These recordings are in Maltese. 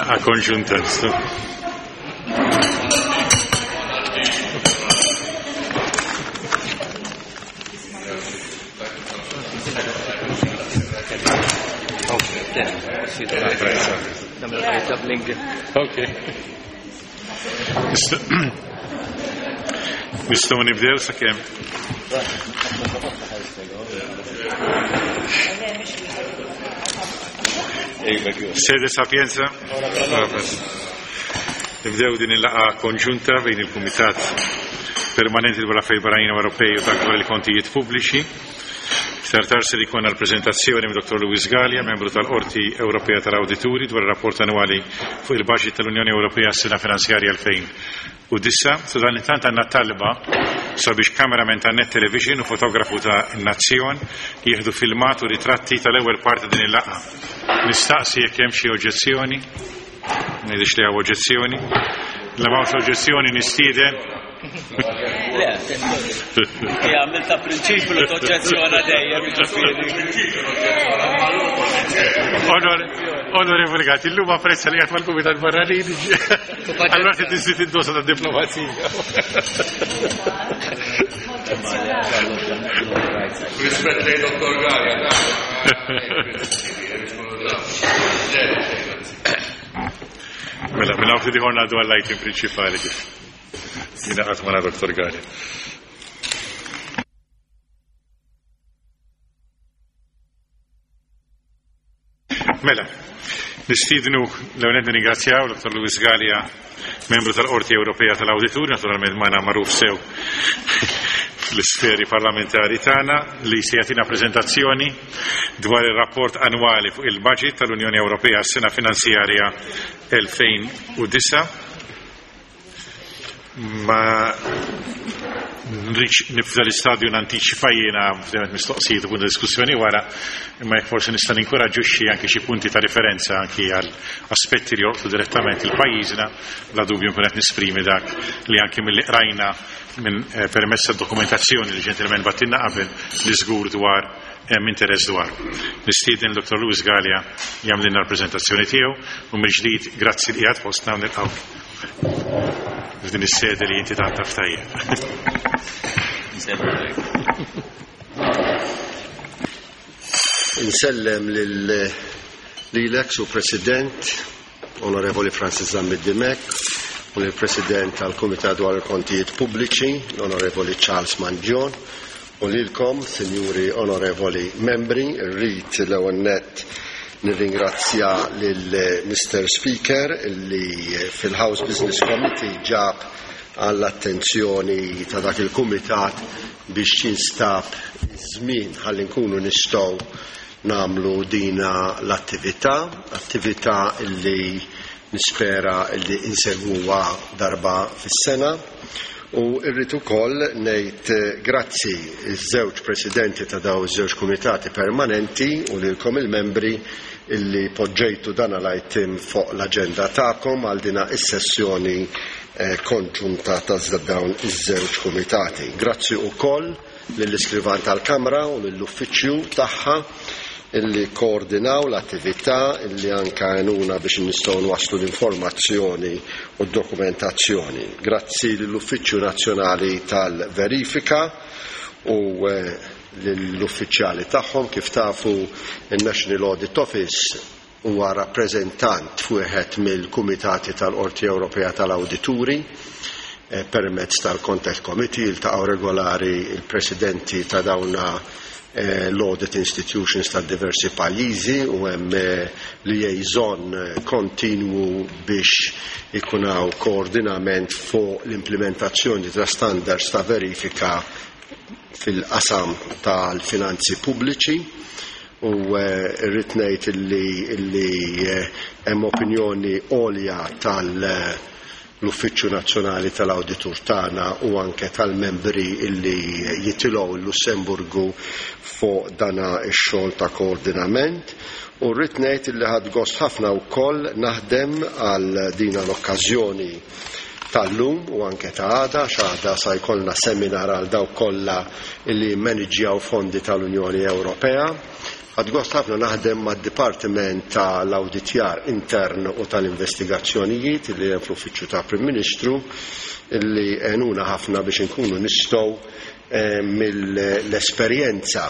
Laqgħa konġunta. Okay. Nistgħu nibdew sakemm. Sede Sapienza. Nibdew din il-laqa konġunta bejn il-Kumitat Permanenti dwar Affarijiet Barranin Ewropej u dak dwar il-Kontijiet Pubbliċi. Iktar tard ser ikollna l-preżentazzjoni minn Dottor Louis Galea, membru tal-Qorti Ewropea tal-Awdituri, dwar ir-rapport annwali fuq il-baġit tal-Unjoni Ewropea għas-sena finanzjarja 2009. Sadanittant għandna talba sabiex cameraman ta' Net Television u fotografu ta' Nazzjon jieħdu filmat u ritratti tal-ewwel parti din il-laqgħa. Nistaqsi jekk hemm xi oġġezzjoni. Ma jidhirx li hawn oġġezzjoni. La m'hawnx oġġezzjoni nistieden Le, għamil ta' prinċipju li toġġezzjona dejjem, ġifieri. Onorevoli Gatti, illum apprezza li għat mal-Kumitat Barranin, allora ti tiżid id-dosa ta' diplomazija. Rispett lej Dottor Gaja, Mela, mela, għafti diħor għaddu għall-item principali kif. Jina għat ma' Dr. Gari. Mela, nistidnu l-għonet nirringrazzjaw Dr. Luis Gallia, membru tal-Qorti Ewropea tal-Awdituri, naturalment magħna magħruf sew fl-isferi parlamentari tagħna li se jagħtina preżentazzjoni dwar ir-rapport annwali fuq il-budget tal-Unjoni Ewropea għas-sena finanzjarja 2009. Ma nridx nibda l-istadju nantiċipa jiena f'demet mistoqsijiet u punti diskussjoni wara, imma jekk forsi nista' ninkoraġġixxi anke xi punti ta' referenza anki għal aspetti li jolqtu direttament il-pajjiżna, bla dubju nkun qed nisprimi dak li anki milli qrajna minn eh, permezz tad-dokumentazzjoni li ġentilmen battilna qabel li żgur dwar hemm interess dwar. Nistieden Dr. Louis Galea jagħmlilna l-preżentazzjoni tiegħu u mill-ġdid grazzi li qiegħed fostna u nilqgħu f'din is-sede li inti tant taf tajjeb. Insellem lil lilek su President, Onorevoli Francis Zammit Dimech, u lill President tal-Kumitat dwar il-Kontijiet Pubbliċi, l-Onorevoli Charles Mangion, u lilkom, Sinjuri Onorevoli Membri, rrid l-ewwel nett nirringrazzja lil Mister Speaker li fil-House Business Committee ġab għall-attenzjoni ta' dak il-kumitat biex jinstab iż-żmien ħalli nkunu nistgħu nagħmlu dina l-attività, attività li nispera li insegwuha darba fis-sena. U rrid ukoll ngħid grazzi ż-żewġ presidenti ta' daw iż-żewġ kumitati permanenti u lilkom il-membri illi poġġejtu dan l-item fuq l-aġenda tagħkom għal dina is-sessjoni eh, konġunta ta' dawn iż-żewġ kumitati. Grazzi ukoll lill-Iskrivan tal-Kamra u lill-Uffiċċju tagħha illi koordinaw l-attività illi anka għenuna biex nistgħu nwasslu l-informazzjoni u d-dokumentazzjoni. Grazzi lill-Uffiċċju Nazzjonali tal-Verifika u eh, lill-uffiċjali tagħhom kif tafu in-National Audit Office huwa rappreżentant f'wieħed mill-kumitati tal-Qorti Ewropea tal-Awdituri eh, permezz tal-Contact Committee jiltaqgħu regolari il-presidenti ta' dawna eh, l-audit institutions ta' diversi pajjiżi u hemm eh, liaison kontinwu biex ikun hawn koordinament fuq l-implementazzjoni ta' standards ta' verifika fil-qasam tal-finanzi pubbliċi u rrid ngħid illi illi hemm opinjoni għolja tal l-Uffiċċju Nazzjonali tal-Awditur tagħna u anke tal-membri illi jitilgħu l-Lussemburgu fuq dana x-xogħol ta' koordinament u rrid ngħid illi ħadt gost ħafna wkoll naħdem għal dina l-okkażjoni tal-lum u anke ta' għada, għax għada sa jkollna seminar għal dawk kollha li jimmaniġġjaw fondi tal-Unjoni Ewropea. Ħadt gost ħafna naħdem mad-Dipartiment tal-Awditjar Intern u tal-Investigazzjonijiet li hemm fl-Uffiċċju tal-Prim Ministru li għenuna ħafna biex inkunu nistgħu mill-esperjenza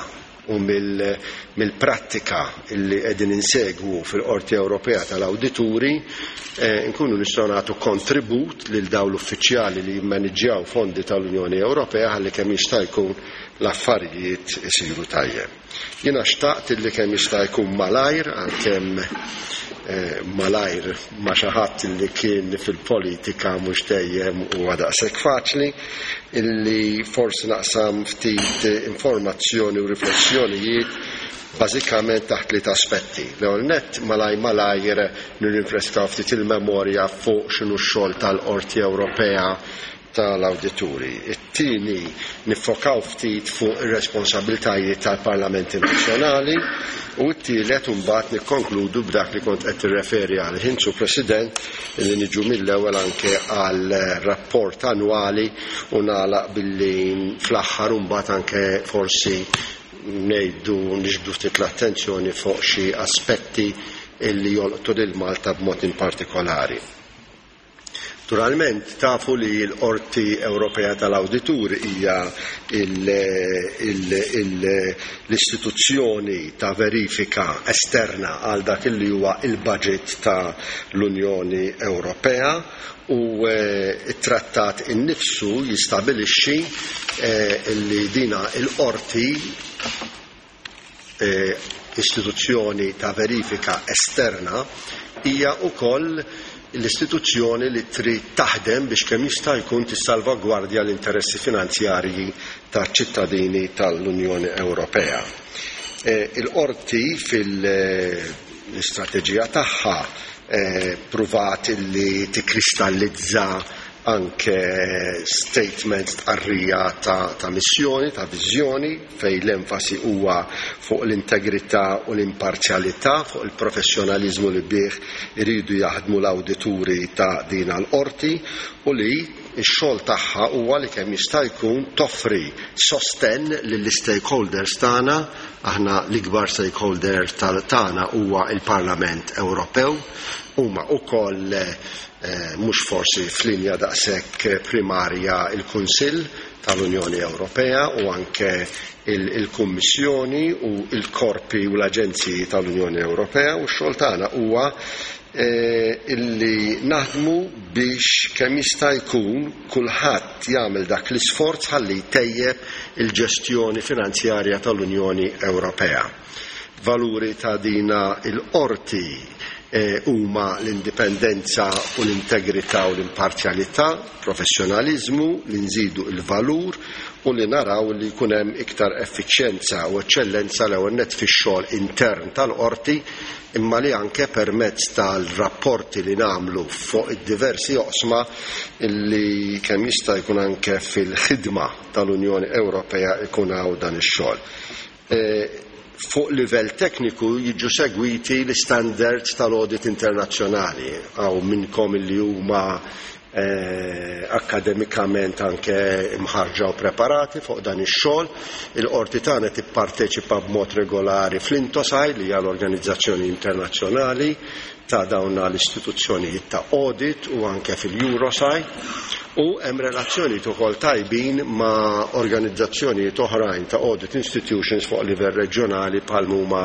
u mill-prattika li qegħdin insegwu fil-Qorti Ewropea tal-Awdituri nkunu nistgħu nagħtu kontribut lil dawn l-uffiċjali li jimmaniġġjaw fondi tal-Unjoni Ewropea ħalli kemm jista' jkun l-affarijiet isiru tajjeb. Jiena xtaqt illi kemm jista' jkun malajr, għalkemm malajr ma' xi ħadd illi kien fil-politika mhux dejjem huwa daqshekk faċli, illi forsi naqsam ftit informazzjoni u riflessjonijiet bażikament taħt tliet aspetti. L-ewwel nett malaj malajr nirrinfreskaw ftit il-memorja fuq x'inhu x-xogħol tal-Qorti Ewropea tal-Awdituri. It-tieni, niffokaw ftit fuq ir-responsabbiltajiet tal-Parlamenti Nazzjonali u t-tielet imbagħad nikkonkludu b'dak li kont qed tirreferi għalih int, Sur President, li niġu mill-ewwel anke għal rapport annwali u nagħlaq billi fl-aħħar imbagħad anke forsi ngħidu niġbdu ftit l-attenzjoni fuq xi aspetti li jolqtu lil Malta b'mod in partikolari. Naturalment, tafu li l-Qorti Ewropea tal-Awdituri hija l-istituzzjoni ta' verifika esterna għal dak li huwa il-budget ta' l-Unjoni Ewropea u t-trattat innifsu jistabilixxi li dina l-qorti istituzzjoni ta' verifika esterna hija wkoll l-istituzzjoni li trid taħdem biex kemm jista' jkun tissalvagwardja l-interessi finanzjarji taċ-ċittadini tal-Unjoni Ewropea. Il-Qorti fil-istrateġija tagħha pruvat li tikkristallizza anke statement, stqarrija ta' missjoni, ta' viżjoni, fejn l-enfasi huwa fuq l-integrità u l-imparzjalità, fuq il-professjonaliżmu li bih iridu jaħdmu l-awdituri ta' din l-qorti u li x-xogħol tagħha huwa li kemm jista' jkun toffri sostenn lill-istakeholders tagħna. Aħna l-ikbar stakeholder tagħna huwa l-Parlament Ewropew, huma wkoll mhux forsi f'linja daqshekk primarja l-Kunsill tal-Unjoni Ewropea u anke il-Kummissjoni u l-korpi u l-aġenziji tal-Unjoni Ewropea, u x-xogħol tagħna huwa illi naħdmu biex kemm jista' jkun kulħadd jagħmel dak l-isforz ħalli jtejjeb il-ġestjoni finanzjarja tal-Unjoni Ewropea. Valuri ta' dina il-qorti huma l-indipendenza u l-integrità u l-imparzjalità, professjonaliżmu, li nżidu l-valur u li naraw li jkun hemm iktar effiċjenza u eċċellenza l-ewwel nett fix-xogħol intern tal-qorti, imma li anke permezz tal-rapporti li nagħmlu fuq id-diversi oqsma li kemm jista' jkun anke fil-ħidma tal-Unjoni Ewropea jkun hawn dan ix-xogħol. Fuq livell tekniku jiġu segwiti l-istandards tal-audit internazzjonali. Hawn minnkom li huma akademikament anke imħarġa u preparati fuq dan ix-xogħol. Il-qorti tagħna tipparteċipa b'mod regolari fl-INTOSAI, li hija l-organizzazzjoni internazzjonali ta' dawn l-istituzzjonijiet ta' audit, u anke fil-Eurosai, u hemm relazzjonijiet ukoll tajbin ma' organizzazzjonijiet oħrajn ta' audit institutions fuq livell reġjonali bħal huma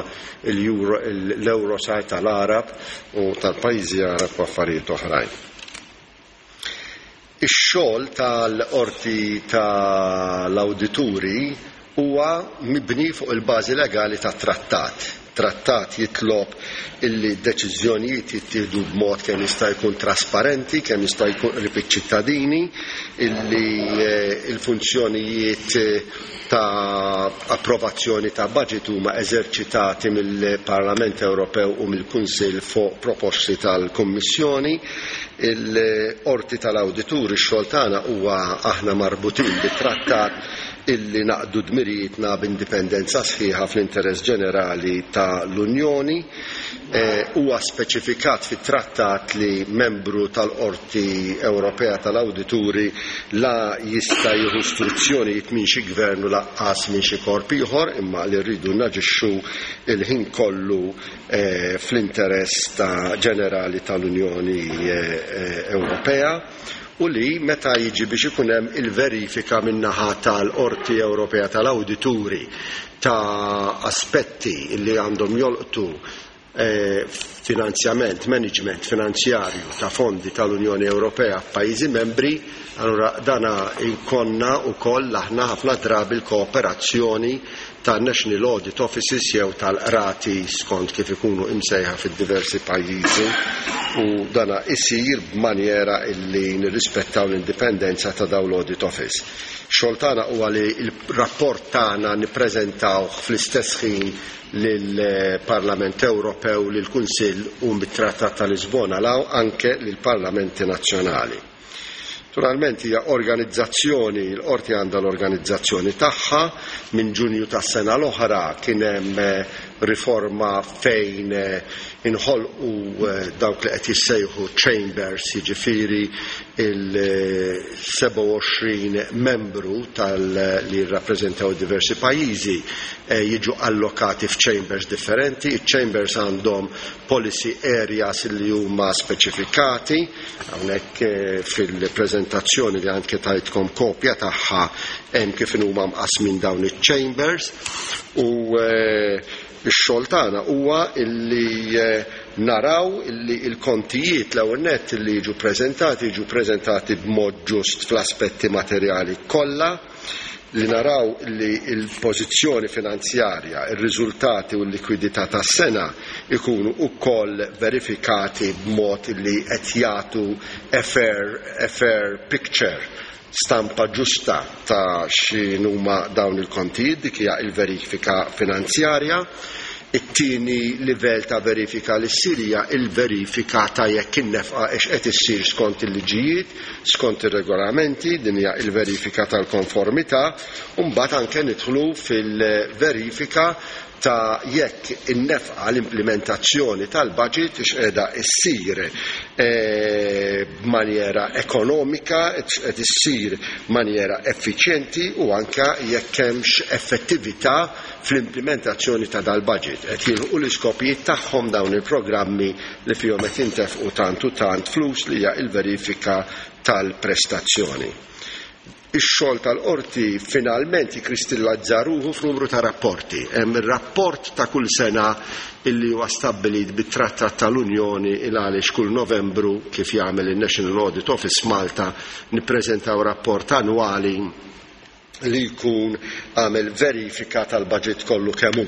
l-Eurosai tal-Arab u tal-pajjiżi Arab u affarijiet oħrajn. Ix-xogħol tal-Qorti tal-Awdituri huwa mibni fuq il-bażi legali tat-trattat. Trattat jitlob illi d-deċiżjonijiet jittieħdu b'mod kemm jista' jkun trasparenti, kemm jista' jkun qrib iċ-ċittadini, illi l-funzjonijiet ta' approvazzjoni ta' budget huma eżerċitati mill-Parlament Ewropew u mill-Kunsill fuq proposti tal-Kummissjoni. Il-Qorti tal-Awdituri, x-xogħol tagħna huwa aħna marbutin bit-trattat. illi naqdu dmirijietna b'indipendenza sħiħa fl-interess ġenerali ta' l-Unjoni. Huwa speċifikat fit-trattat li membru tal-Qorti Ewropea tal-Awdituri la jista' jieħu struzzjonijiet minn xi gvern u lanqas minn xi korp ieħor, imma li rridu naġixxu l-ħin kollu fl-interess ta' ġenerali tal-Unjoni Ewropea u li meta jiġi biex ikun hemm il-verifika min-naħa tal-Qorti Ewropea tal-Awdituri ta' aspetti li għandhom jolqtu finanzjament, management finanzjarju ta' fondi tal-Unjoni Ewropea f'pajjiżi membri, allura dana jkollna wkoll aħna ħafna drabi l-kooperazzjoni ta' National Audit Offices jew tal-qrati skont kif ikunu imsejħa fid-diversi pajjiżi u dana isir b'manjera illi nirrispettaw l-indipendenza ta' dawn l-audit office. Xogħol tagħna huwa li l-rapport tagħna nippreżentawh fl-istess ħin lill-Parlament Ewropew, lill-Kunsill u mit-Trattat ta' Lisbona 'l hawn anke lill-Parlamenti Nazzjonali. Naturalment hija organizzazzjoni, l-Qorti għandha l-organizzazzjoni tagħha, minn Ġunju tas-sena l-oħra kien hemm riforma fejn inħolqu dawk li qed jissejħu chambers, jiġifieri il-27 membru tal li jirrappreżentaw diversi pajjiżi jiġu allokati f'chambers differenti. Iċ-chambers għandhom policy areas li huma speċifikati. Hawnhekk fil-preżentazzjoni li anke tajtkom kopja tagħha hemm kif huma mqasmin dawn iċ-chambers u x-xogħol tagħna huwa illi naraw illi l-kontijiet l-ewwel nett li jiġu preżentati jiġu preżentati b'mod ġust fl-aspetti materjali kollha, li naraw li l-pożizzjoni finanzjarja, ir-riżultati u l-likwidità tas-sena jkunu wkoll verifikati b'mod li qed jagħtu a fair, a fair picture, stampa ġusta ta' x'inhuma dawn il-kontijiet, dik hija l-verifika finanzjarja. It-tieni livell ta' verifika li ssir hija l-verifika ta' jekk in-nefqa hix qed issir skont il-liġijiet, skont ir-regolamenti, din hija l-verifika tal-konformità, u mbagħad anke nidħlu fil-verifika ta' jekk in-nefqa, l-implimentazzjoni tal-budget hix qiegħda ssir b'manjera ekonomika, qed issir b'manjera effiċjenti u anke jekk hemmx effettività fl-implimentazzjoni ta' dal-budget. Qed jilħqu l-iskopijiet tagħhom dawn il-programmi li fihom qed jintefqu tant u tant flus li hija l-verifika tal-prestazzjoni. Ix-xogħol tal-Qorti finalment jikkristillazza ruħu f'numru ta' rapporti. Hemm ir-rapport ta' kull sena illi huwa stabbilit bit-Trattat tal-Unjoni il għaliex kull Novembru, kif jagħmel in-National Audit Office Malta, nippreżentaw rapport annwali li jkun għamel verifika tal-budget kollu kemm hu.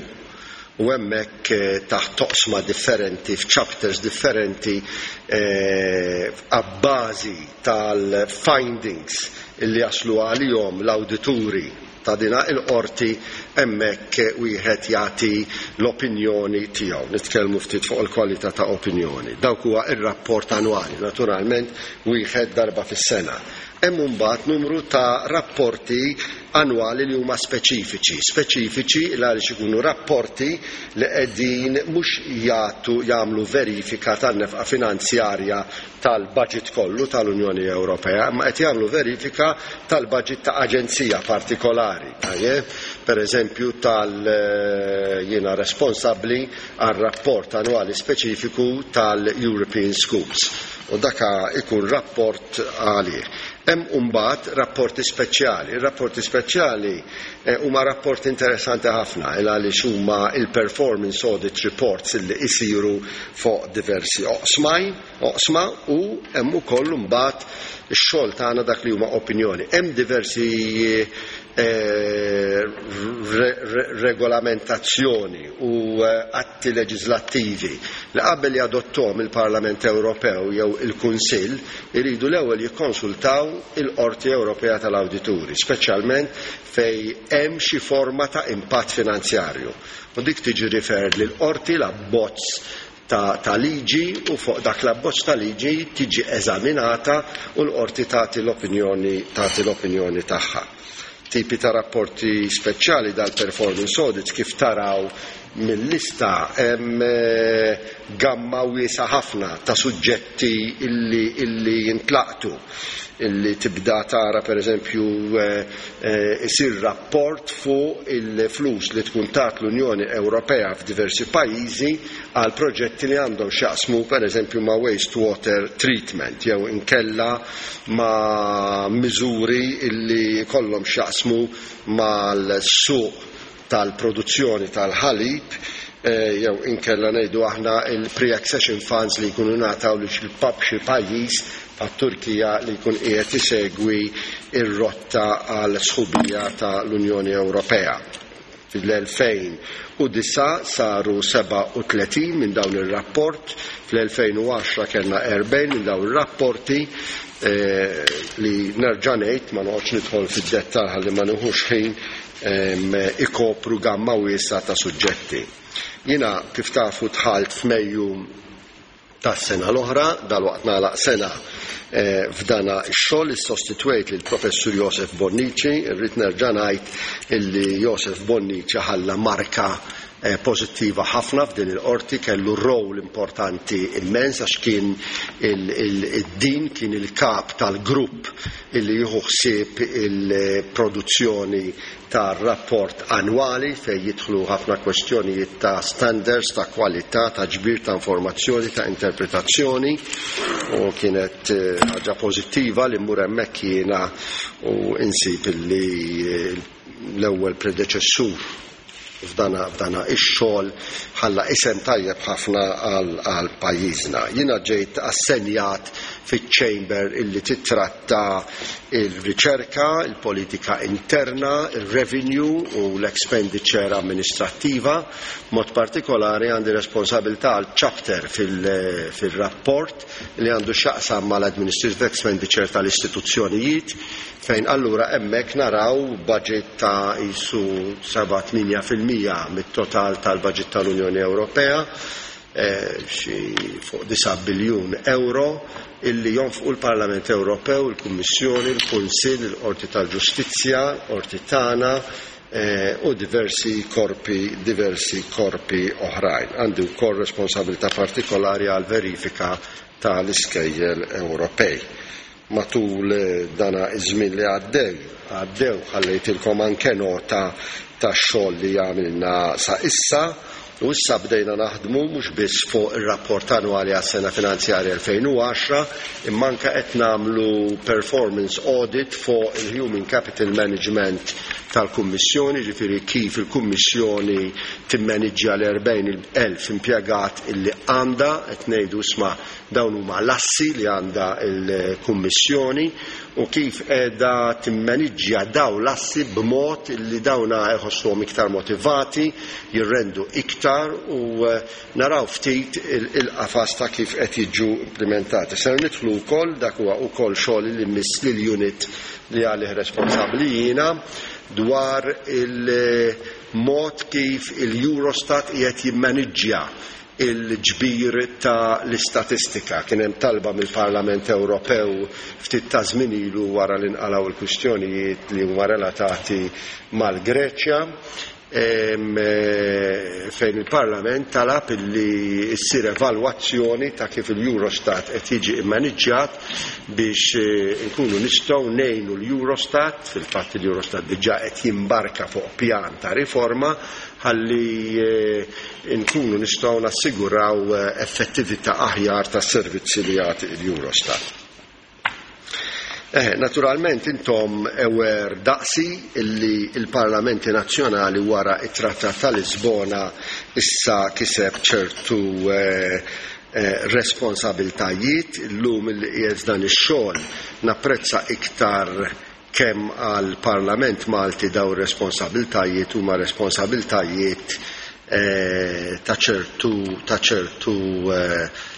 U hemmhekk taħt toqsma differenti, f'chapters differenti, abbażi tal-findings li jaslu għalihom l-awdituri ta' dina il-qorti, hemmhekk wieħed jagħti l-opinjoni tiegħu. Nitkellmu ftit fuq il-kwalità ta' opinjoni. Dawk huwa r-rapport annwali, naturalment wieħed darba fis-sena. Hemm imbagħad numru ta' rapporti annwali li huma speċifiċi. Speċifiċi għaliex ikunu rapporti li qegħdin mhux jagħtu jagħmlu verifika tan-nefqa finanzjarja tal-budget kollu tal-Unjoni Ewropea, imma qed jagħmlu verifika tal-budget ta' aġenzija partikolari. Tajjeb, per eżempju tal jiena responsabbli għal rapport annwali speċifiku tal-European Schools. U daka ikun rapport għalih. Hemm imbagħad rapporti speċjali. Ir-rapporti speċjali huma rapporti interessanti ħafna il għaliex huma il-performance audit reports illi isiru fuq diversi oqsma u hemm ukoll imbagħad ix-xogħol tagħna dak li huma opinjoni. Hemm diversi regolamentazzjoni u atti leġislattivi li qabel jadottom il-Parlament Ewropew jew il-Kunsill iridu l-ewwel jikkonsultaw il-Qorti Ewropea tal-Awdituri, speċjalment fej hemm xi forma ta' impatt finanzjarju. U dik tiġi referred lill-Qorti l-abbozz ta' liġi u fuq dak l-abbozz ta' liġi tiġi eżaminata u l-qorti tagħti l-opinjoni tagħha. Tipi ta' rapporti speċjali dal-performance audits, kif taraw mill-lista, hemm gamma wiesgħa ħafna ta' suġġetti illi jintlaqtu, illi tibda tara, pereżempju, isir rapport fuq il-flus li tkun tat l-Unjoni Ewropea f'diversi pajjiżi għal proġetti li għandhom x'jaqsmu, pereżempju, ma' waste water treatment jew inkella ma' miżuri illi jkollhom x'jaqsmu mal-suq tal-produzzjoni tal-ħalib, jew inkella, ngħidu aħna, il-pre-accession funds li jkunu ngħataw lil xi pajjiż bħat-Turkija li jkun qiegħed isegwi r-rotta għal sħubija ta' l-Unjoni Ewropea. Fil-2009 saru 37 minn dawn ir-rapport, fl-2010 kellna 40 minn dawn ir-rapporti, li nerġa' ngħid, ma noqgħodx nidħol fid-dettall ħalli ma nieħux ħin, ikopru gamma wiesgħa ta' suġġetti. Jiena, kif tafu, dħalt f'Mejju tas-sena l-oħra, dalwaqt nagħlaq sena f'dana x-xogħol, issostitwejt lil Professur Josef Bonnici. Irrid nerġa' ngħid illi Josef Bonnici ħalla marka pożittiva ħafna f'din il-qorti, kellu role importanti immens għax kien id-din kien il-kap tal-grupp illi jieħu ħsieb il-produzzjoni tar-rapport annwali fejn jidħlu ħafna kwestjonijiet ta' standards, ta' kwalità, ta' ġbir ta' informazzjoni, ta' interpretazzjoni, u kienet ħaġa pożittiva li mmur hemmhekk jiena u insib illi l-ewwel predeċessur f'dana ix-xogħol ħalla isem tajjeb ħafna għal pajjiżna. Jiena ġejt assenjat fiċ-chamber illi titratta il-riċerka, il-politika interna, il-revenue u l-expenditure amministrattiva. Mod partikolari għandi responsabilità għal chapter fil-rapport li għandu x'jaqsam mal-administrative expenditure tal-istituzzjonijiet, fejn allura hemmhekk naraw budget ta' jisu 7-8% mit-total tal-budget tal-Unjoni Ewropea, xi fuq 9 biljun euro illi jonfqu l-Parlament Ewropew, il-Kummissjoni, il-Kunsill, il-Qorti tal-Ġustizzja, il-Qorti tagħna u diversi korpi oħrajn. Għandi wkoll responsabilità partikolari għal verifika tal-iskejjel Ewropej. Matul dana iż-żmien li għaddew ħallejtilkom anke nota tax-xogħol li għamilna sa issa, u issa bdejna naħdmu mhux biss fuq ir-rapport annwali għas-sena finanzjarja 2010, imma anke qed nagħmlu performance audit fuq il-Human Capital Management tal-Kummissjoni, ġifieri kif il-Kummissjoni timmaniġġja l-40,000 impjegat illi għandha. Qed ngħidu, isma', dawn huma l-assi li għandha l-Kummissjoni u kif qiegħda timmaniġġja daw l-assi b'mod li dawna jħossuhom iktar motivati, jirrendu iktar, u naraw ftit il-qafas ta' kif qed jiġu implementati. Ser nidħlu wkoll, dak huwa wkoll xogħol li miss lil unit li għalih responsabbli jiena, dwar il-mod kif il-Eurostat qiegħed jimmaniġġja il-ġbir ta' l-istatistika. Kien hemm talba mill-Parlament Ewropew ftit ta' żmien ilu, wara li nqalgħu l-kwistjonijiet li huma relatati mal-Greċja, fejn il-Parlament talab illi ssir evalwazzjoni ta' kif il-Eurostat qed jiġi immaniġġjat biex nkunu nistgħu ngħinu l-Eurostat. Fil-fatt il-Eurostat diġà qed jimbarka fuq pjan ta' riforma ħalli nkunu nistgħu nassiguraw effettività aħjar tas-servizzi li jagħti l-Eurostat. Naturalment intom aware daqsi illi il-Parlamenti Nazzjonali wara it-Trattat ta' Lisbona issa kiseb ċertu responsabiltajiet. Illum illi qiegħed dan ix-xogħol napprezza iktar kemm għal Parlament Malti daw responsabiltajiet huma responsabiltajiet ta' ċertu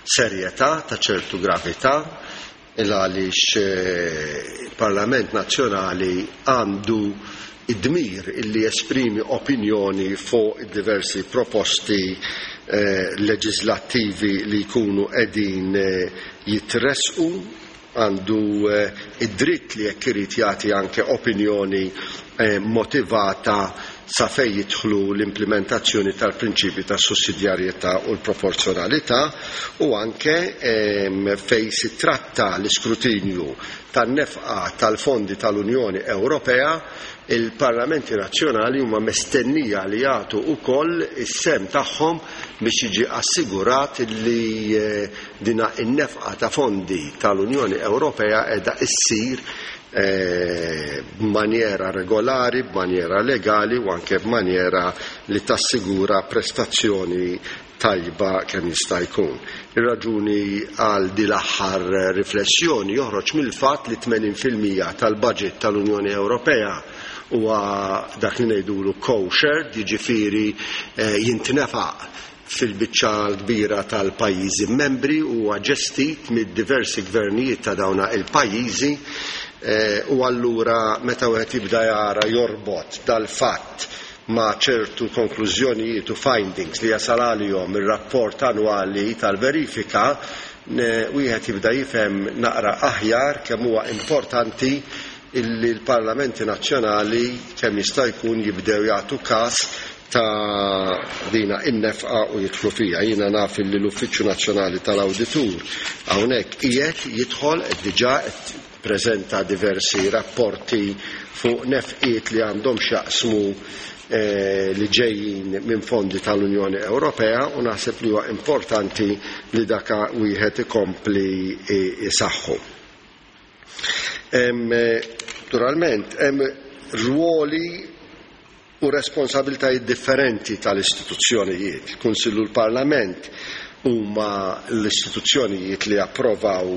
serjetà, ta' ċertu gravità, il għaliex il-Parlament Nazzjonali għandu id-dmir illi jesprimi opinjoni fuq diversi proposti leġislattivi li jkunu qegħdin jitresqu. għandu id-dritt li jekk irid jagħti anke opinjoni motivata sa fejn jidħlu l-implementazzjoni tal-prinċipji tas-sussidjarjetà u l-proporzjonalità u anke fejn si tratta l-iskrutinju tan-nefqa tal-fondi tal-Unjoni Ewropea, il-parlamenti nazzjonali huma mistennija li jagħtu wkoll is-sehem tagħhom biex jiġi assigurat li dina n-nefqa ta' fondi tal-Unjoni Ewropea qiegħda issir b'manjera regolari, b'manjera legali u anke b'manjera li tassigura prestazzjoni tajba kemm jista' jkun. Ir-raġuni għal di l-aħħar riflessjoni joħroġ mill-fatt li 80% tal-budget tal-Unjoni Ewropea huwa dak li ngħidulu co-shared, jiġifieri jintnefaq fil-biċċa l-kbira tal-pajjiżi membri u huwa ġestit mid-diversi gvernijiet ta' dawna il-pajjiżi, u allura meta wieħed jibda jara jorbot dal-fatt ma' ċertu konklużjonijiet u findings li jasal għalihom ir-rapport annwali tal-verifika, wieħed jibda jifhem naqra aħjar kemm huwa importanti illi l-parlamenti nazzjonali kemm jista' jkun jibdew jagħtu każ ta' dina in-nefqa u jidħlu fiha. Jiena naf illi l-Uffiċċju Nazzjonali tal-Awditur hawnhekk qiegħed jidħol, qed diġà qed preżenta diversi rapporti fuq nefqiet li għandhom x'jaqsmu li ġejjin minn fondi tal-Unjoni Ewropea, u naħseb li huwa importanti li daka wieħed ikompli isaħħu. Naturalment, hemm rwoli u responsabiltajiet differenti tal-istituzzjonijiet. Il-Kunsill u l-Parlament huma l-istituzzjonijiet li approvaw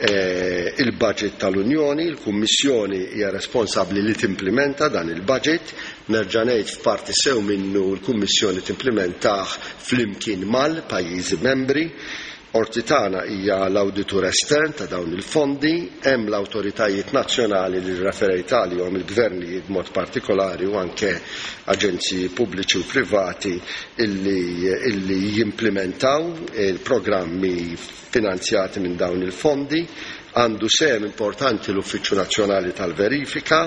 il-budget tal-Unjoni, il-Kummissjoni hija responsabbli li timplementa dan il-budget, nerġa' ngħid f'parti sew minnu l-Kummissjoni timplimentah flimkien mal-pajjiżi membri. Qorti tagħna hija l-awditur estern ta' dawn il-fondi, hemm l-awtoritajiet nazzjonali li rreferejt għalihom, il-gvernijiet b'mod partikolari u anke aġenziji pubbliċi u privati illi jimplementaw il-programmi finanzjati minn dawn il-fondi. Għandu sehem importanti l-Uffiċċju Nazzjonali tal-Verifika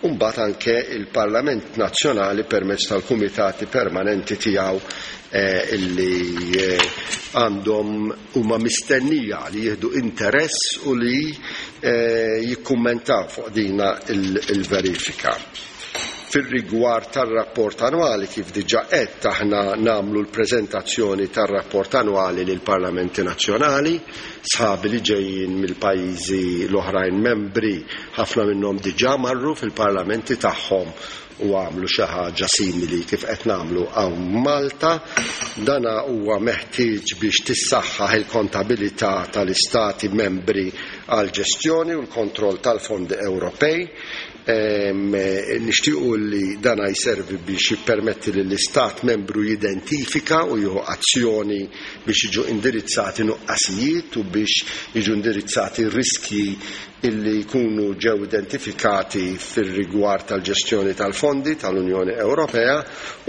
u mbagħad anke il-Parlament Nazzjonali permezz tal-kumitati permanenti tiegħu illi għandhom huma mistennija li jieħdu interess u li jikkummentaw fuq dina il-verifika. Fir-rigward tar-rapport annwali, kif diġà qed, aħna nagħmlu l-preżentazzjoni tar-rapport annwali lill-Parlamenti Nazzjonali, sħabi li ġejjin mill-pajjiżi l-oħrajn membri, ħafna minnhom diġà marru fil-parlamenti tagħhom u għamlu xi ħaġa simili kif qed nagħmlu hawn Malta. Dana huwa meħtieġ biex tissaħħaħ il-kontabilità tal-istati membri għal ġestjoni u l-kontroll tal-fondi Ewropej. Nixtiequ li dana jservi biex jippermetti li l-istat membru jidentifika u jieħu azzjoni biex jiġu indirizzati nuqqasijiet u biex jiġu indirizzati riskji illi jkunu ġew identifikati fir-rigward tal-ġestjoni tal-fondi tal-Unjoni Ewropea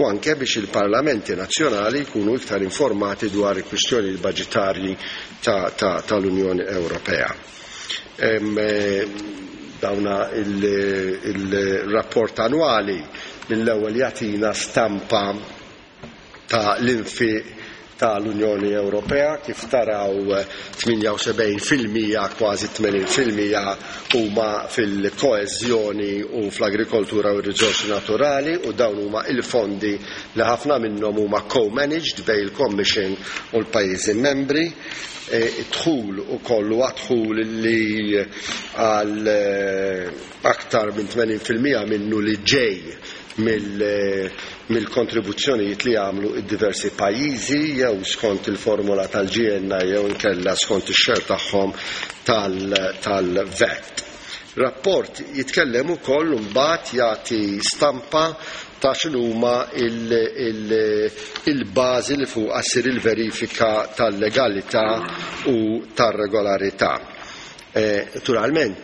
u anke biex il-parlamenti nazzjonali jkunu iktar informati dwar il-kwistjoni baġitarji tal-Unjoni Ewropea. Dawna il-rapport annwali mill-ewwel jagħtina stampa ta' l-infiq tal-Unjoni Ewropea, kif taraw 78%, kważi 80% huma fil-koeżjoni u fl-agrikoltura u r-riżorsi naturali, u dawn huma il-fondi li ħafna minnhom huma co-managed bejn il-Commission u l-pajjiżi membri. Dħul ukoll huwa dħul li għal aktar minn 80% minnu li ġej mill-kontribuzzjonijiet li għamlu id-diversi pajjiżi jew skont il-formula tal-GNI jew inkella skont ix-xer tagħhom tal-VAT. Rapport jitkellem ukoll imbagħad jagħti stampa ta' x'inhuma il-bażi li fuqha ssir il-verifika tal-legalità u tar-regolarità. Naturalment,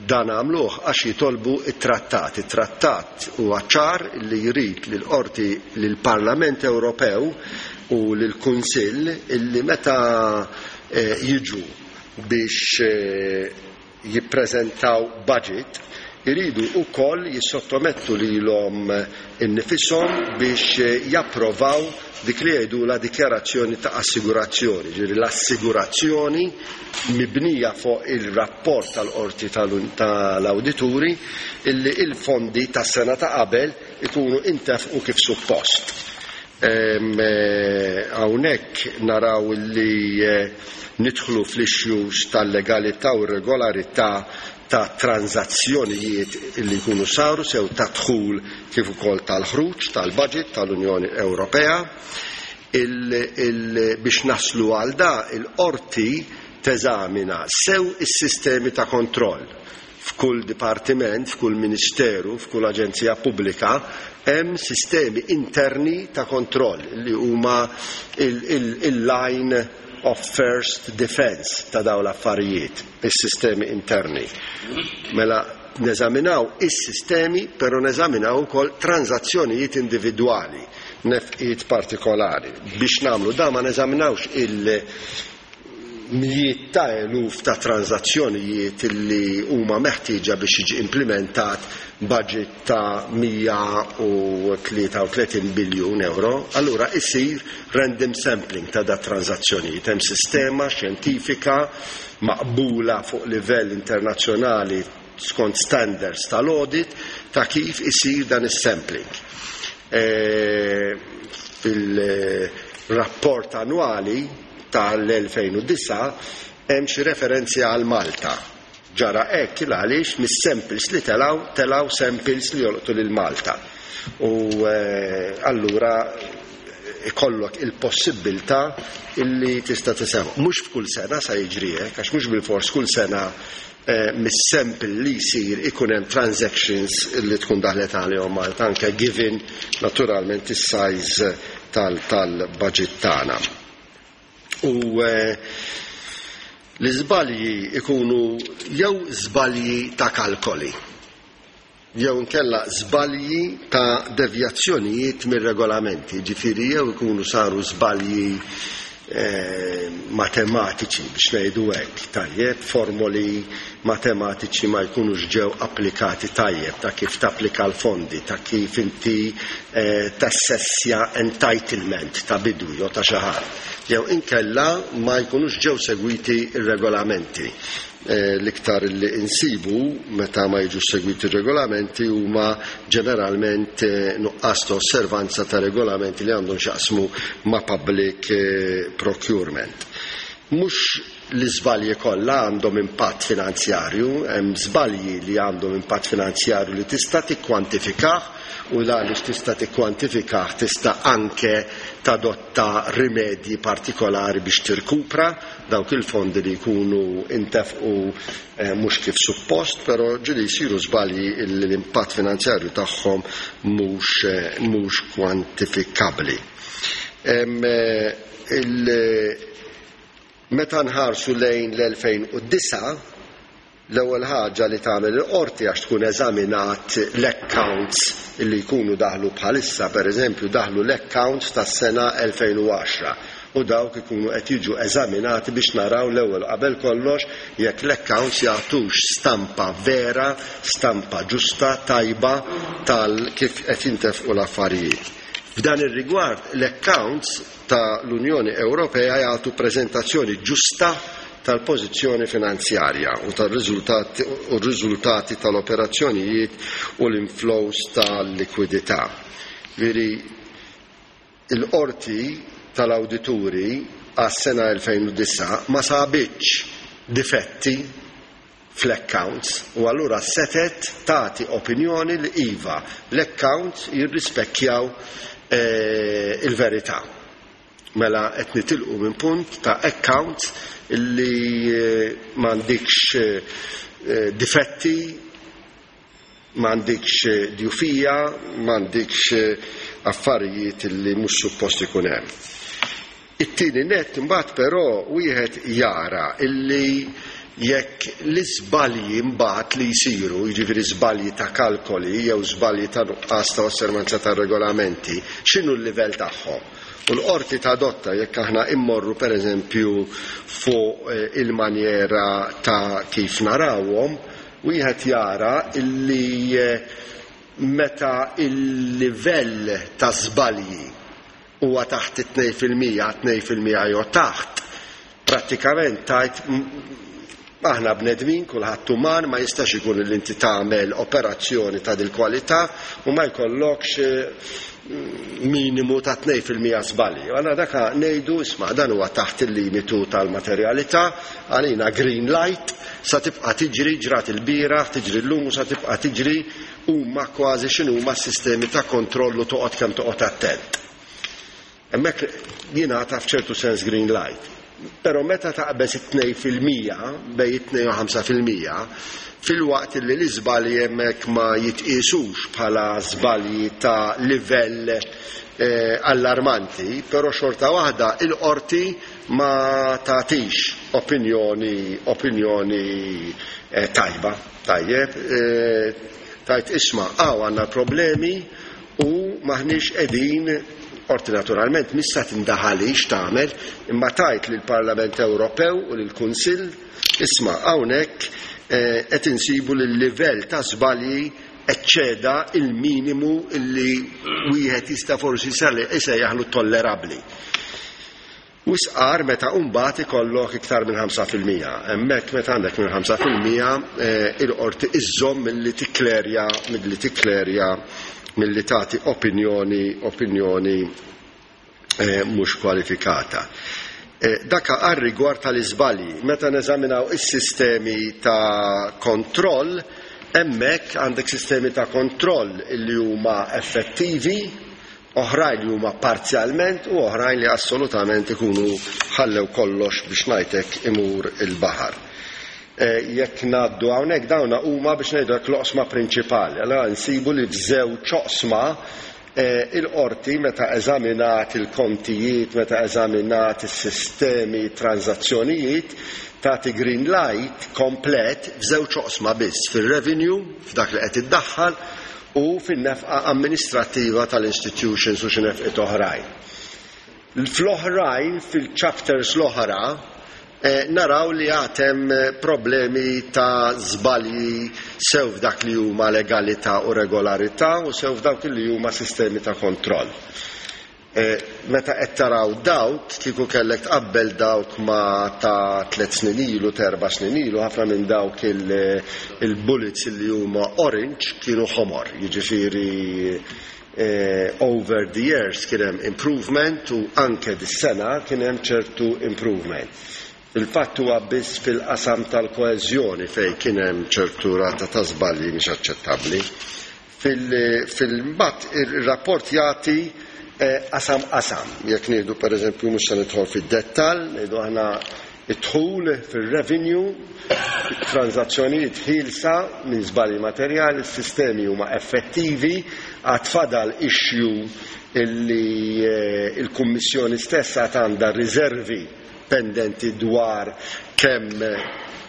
dan għamluh għax jitolbu it-trattat. It-trattat huwa ċar li jrid li l-Qorti, lill-Parlament Ewropew u lill-Kunsill illi meta jiġu biex jippreżentaw budget, iridu wkoll jissottomettu lilhom innifishom biex japprovaw dik li jgħidulha dikjarazzjoni ta' assigurazzjoni, ġifieri l-assigurazzjoni mibnija fuq il-rapport tal-Qorti tal-Awdituri illi il-fondi tas-sena ta' qabel ikunu intefqu kif suppost. Hawnhekk naraw li nidħlu fl-issues tal-legalità u r-regolarità ta' tranżazzjonijiet li jkunu saru sew ta' dħul kif ukoll tal-ħruġ tal-budget tal-Unjoni Ewropea. Biex naslu għal da, il-qorti teżamina sew is-sistemi ta' kontroll. F'kull dipartiment, f'kull ministeru, f'kull aġenzija pubblika hemm sistemi interni ta' kontroll li huma il-line of first defense ta' dawn l-affarijiet, is-sistemi interni. Mela neżaminaw is-sistemi, però neżaminaw ukoll transazzjonijiet individwali, nefqiet partikolari. Biex nagħmlu da ma neżaminawx il-mijiet ta' eluf ta' transazzjonijiet li huma meħtieġa biex jiġi implementat budget ta' 133 biljun euro, allura isir random sampling ta' da transazzjonijiet. Hemm sistema xjentifika maqbula fuq livell internazzjonali skont standards tal-audit ta' kif isir dan is-sampling. Fil-rapport annwali tal-2009 hemm xi referenzi għal Malta. Ġara hekk għaliex mis-samples li telaw samples li jolqtu lil Malta. U allura ikollok il-possibilità illi tista' tisema. Mhux f'kull sena sa jiġri hekk, għax mhux bilfors kull sena mis-sample li jsir ikun hemm transactions li tkun daħlet għalihom Malta, anke given naturalment is-size tal-budget tagħna. U l-iżbalji ikunu jew żbalji ta' kalkoli, jew inkella żbalji ta' devjazzjonijiet mir-regolamenti, ġifieri jew ikunu saru żbalji matematiċi biex ngħidu hekk, tajjeb, formoli matematiċi ma jkunux ġew applikati tajjeb, ta' kif tapplika l-fondi, ta' kif inti tassessja entitlement ta' bidwi jew ta' xi ħadd, jew inkella ma jkunux ġew segwiti r-regolamenti. L-iktar li insibu meta ma jiġux segwiti regolamenti huma ġeneralment nuqqas ta' osservanza ta' regolamenti li għandhom x'jaqsmu ma' public procurement. Mhux l-iżbalji kollha għandhom impatt finanzjarju, hemm żbalji li għandhom impatt finanzjarju li tista' tikkwantifikah, u għaliex tista' tikkwantifikah tista' anke tadotta rimedji partikolari biex tirkupra dawk il-fondi li jkunu intefqu mhux kif suppost, però ġieli jsiru żbalji li l-impatt finanzjarju tagħhom mhux kwantifikabbli. Meta nħarsu lejn l-2009, l-ewwel ħaġa li tagħmel il-qorti għax tkun eżaminat l-accounts li jkunu daħlu bħalissa, pereżempju daħlu l-accounts tas-sena 2010, u dawk ikunu qed jiġu eżaminati biex naraw l-ewwel qabel kollox jekk l-accounts jagħtux stampa vera, stampa ġusta, tajba tal kif qed jintefqu l-affarijiet. F'dan ir-rigward l-accounts ta' l-Unjoni Ewropea jagħtu preżentazzjoni ġusta tal-pożizzjoni finanzjarja u tal-riżultati u r-riżultati tal-operazzjonijiet u l-inflows tal-likwidità. Veri il-qorti tal-awdituri għas-sena 2009 ma sabitx difetti fl-accounts u allura setet tagħti opinjoni li iva l-accounts jirrispekkjaw il-verità. Mela qed nitilqu minn punt ta' accounts li m'għandikx difetti, m'għandikx djufija, m'għandikx affarijiet li mhux suppost ikun hemm. It-tieni nett imbagħad però wieħed jara illi jekk l-iżbalji mbagħad li jsiru, jiġifieri żbalji ta' kalkoli jew żbalji ta' nuqqas ta' osservanza ta' regolamenti, x'inhu l-livell tagħhom? U l-qorti tadotta jekk aħna immorru pereżempju fuq il-manjera ta' kif narawhom, wieħed jara illi meta il-livell ta' żbalji huwa taħt it-2%, 2% jew taħt, prattikament tgħid aħna bnedmin, kulħadd uman, ma jistax ikun li inti tagħmel operazzjoni ta' dil-kwalità u ma jkollokx minimu ta' 2% żbalji. Allura daka ngħidu isma' dan huwa taħt il-limitu tal-materjalità, għalina green light, sa tibqa' tiġri, ġrat il-bieraħ, tiġri llum u sa tibqa' tiġri huma kważi x'inhuma s-sistemi ta' kontroll u toqgħod kemm toqgħod attent. Hemmhekk jingħata f'ċertu sens green light. Però meta taqbeż it-2%, bejn it-2 u 5%, filwaqt li l-iżbalji hemmhekk ma jitqiesux bħala żbalji ta' livell allarmanti, però xorta waħda il-qorti ma tagħtix opinjoni opinjoni tajba. Tajjeb, tgħid isma' hawn għandna problemi u m'aħniex qegħdin, qorti naturalment mhix sa tindaħalix tagħmel, imma tgħid lill-Parlament Ewropew u lill-Kunsill, isma' hawnhekk qed insibu li l-livell ta' żbalji eċċeda il-minimu li wieħed jista' forsi jsejjaħlu tollerabbli. Wisq agħar meta mbagħad ikollok iktar minn 5%. Hemmhekk meta għandek minn 5% il-qorti iżżomm milli tikklerja milli tikklerja milli tagħti opinjoni opinjoni mhux kwalifikata. Dak għar-rigward tal-iżbalji. Meta neżaminaw is-sistemi ta' kontroll, hemmhekk għandek sistemi ta' kontroll li huma effettivi, oħrajn li huma parzjalment u oħrajn li assolutament ikunu ħallew kollox biex ngħid hekk imur il-baħar. Jekk ngħaddu hawnhekk dawna huma biex ngħidu hekk l-oqsma prinċipali. Allura nsibu li f'żewġ oqsma il-qorti meta eżaminat il-kontijiet, meta eżaminat is-sistemi, transazzjonijiet, tagħti green light komplet f'żewġ oqsma biss, fir-revenue, f'dak li qed iddaħħal, u fin-nefqa amministrattiva tal-institutions u xi nefqiet oħrajn. Fl-oħrajn, fil-chapters l-oħra, naraw li għad hemm problemi ta' żbalji sew f'dak li huma legalità u regolarità u sew f'dawk li huma sistemi ta' kontroll. Meta qed taraw dawk, kieku kellek tqabbel dawk ma' ta' tlett snin ilu, t'erba' snin ilu, ħafna minn dawk il-bullets li huma orange kienu ħomor. Jiġifieri over the years kien hemm improvement u anke dis-sena kien hemm ċertu improvement. Fil-fatt huwa biss fil-qasam tal-koeżjoni fejn kien hemm ċertu rata ta' żbalji mhix aċċettabbli. Fil-mbagħad ir-rapport jagħti qasam qasam. Jekk nieħdu pereżempju mhux se nidħol fid-dettall, ngħidu aħna id-dħul fir-revenue, it-tranżazzjonijiet ħielsa minn żbalji materjali, s-sistemi huma effettivi, għad fadal issue illi l-Kummissjoni stess għad għandha riservi pendenti dwar kemm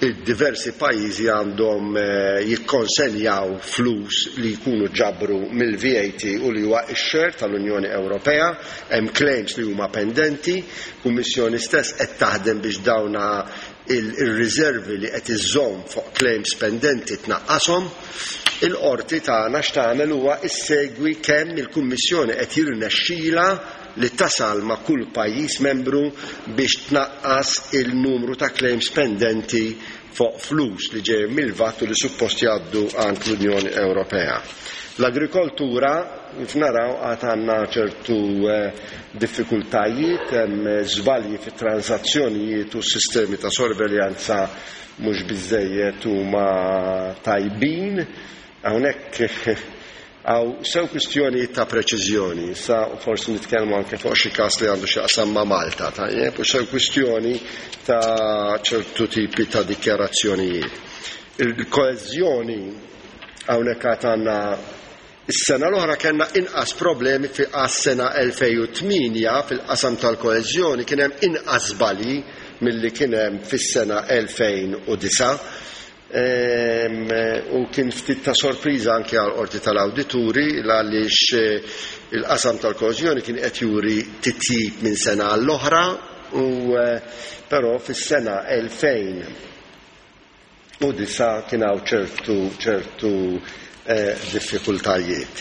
id-diversi pajjiżi għandhom jikkonsenjaw flus li jkunu ġabru mill-VAT u li huwa x-share tal-Unjoni Ewropea. Hemm claims li huma pendenti. Kummissjoni stess qed taħdem biex dawna ir-riservi li qed iżżomm fuq claims pendenti tnaqqashom. Il-qorti tagħna x'tagħmel huwa issegwi kemm il-Kummissjoni qed jirnexxilha li tasal ma' kull pajjiż membru biex tnaqqas il-numru ta' claims pendenti fuq flus li ġejjin mill-VAT u li suppost jgħaddu għand l-Unjoni Ewropea. L-agrikoltura, kif naraw, għad għandna ċertu diffikultajiet, hemm żbalji fit-transazzjonijiet u s-sistemi ta' sorveljanza mhux biżżejjed huma tajbin. Hawnhekk hawn sew kwistjonijiet ta' preċiżjoni, issa forsi nitkellmu anke fuq xi każ li għandu x'jaqsam ma' Malta, tajjeb, u sew kwistjoni ta' ċertu tipi ta' dikjarazzjonijiet. Il-koeżjoni hawnhekk għad għandna is-sena l-oħra kellna inqas problemi fi għas-sena 2008 fil-qasam tal-koeżjoni kien hemm inqas żbalji milli kien hemm fis-sena 2009. U kien ftit ta' sorpriża anke għal Qorti tal-Awdituri għaliex il-qasam tal-koeżjoni kien qed juri titjib minn sena għall-oħra u però fis-sena 2009 kien hawn ċertu ċertu diffikultajiet.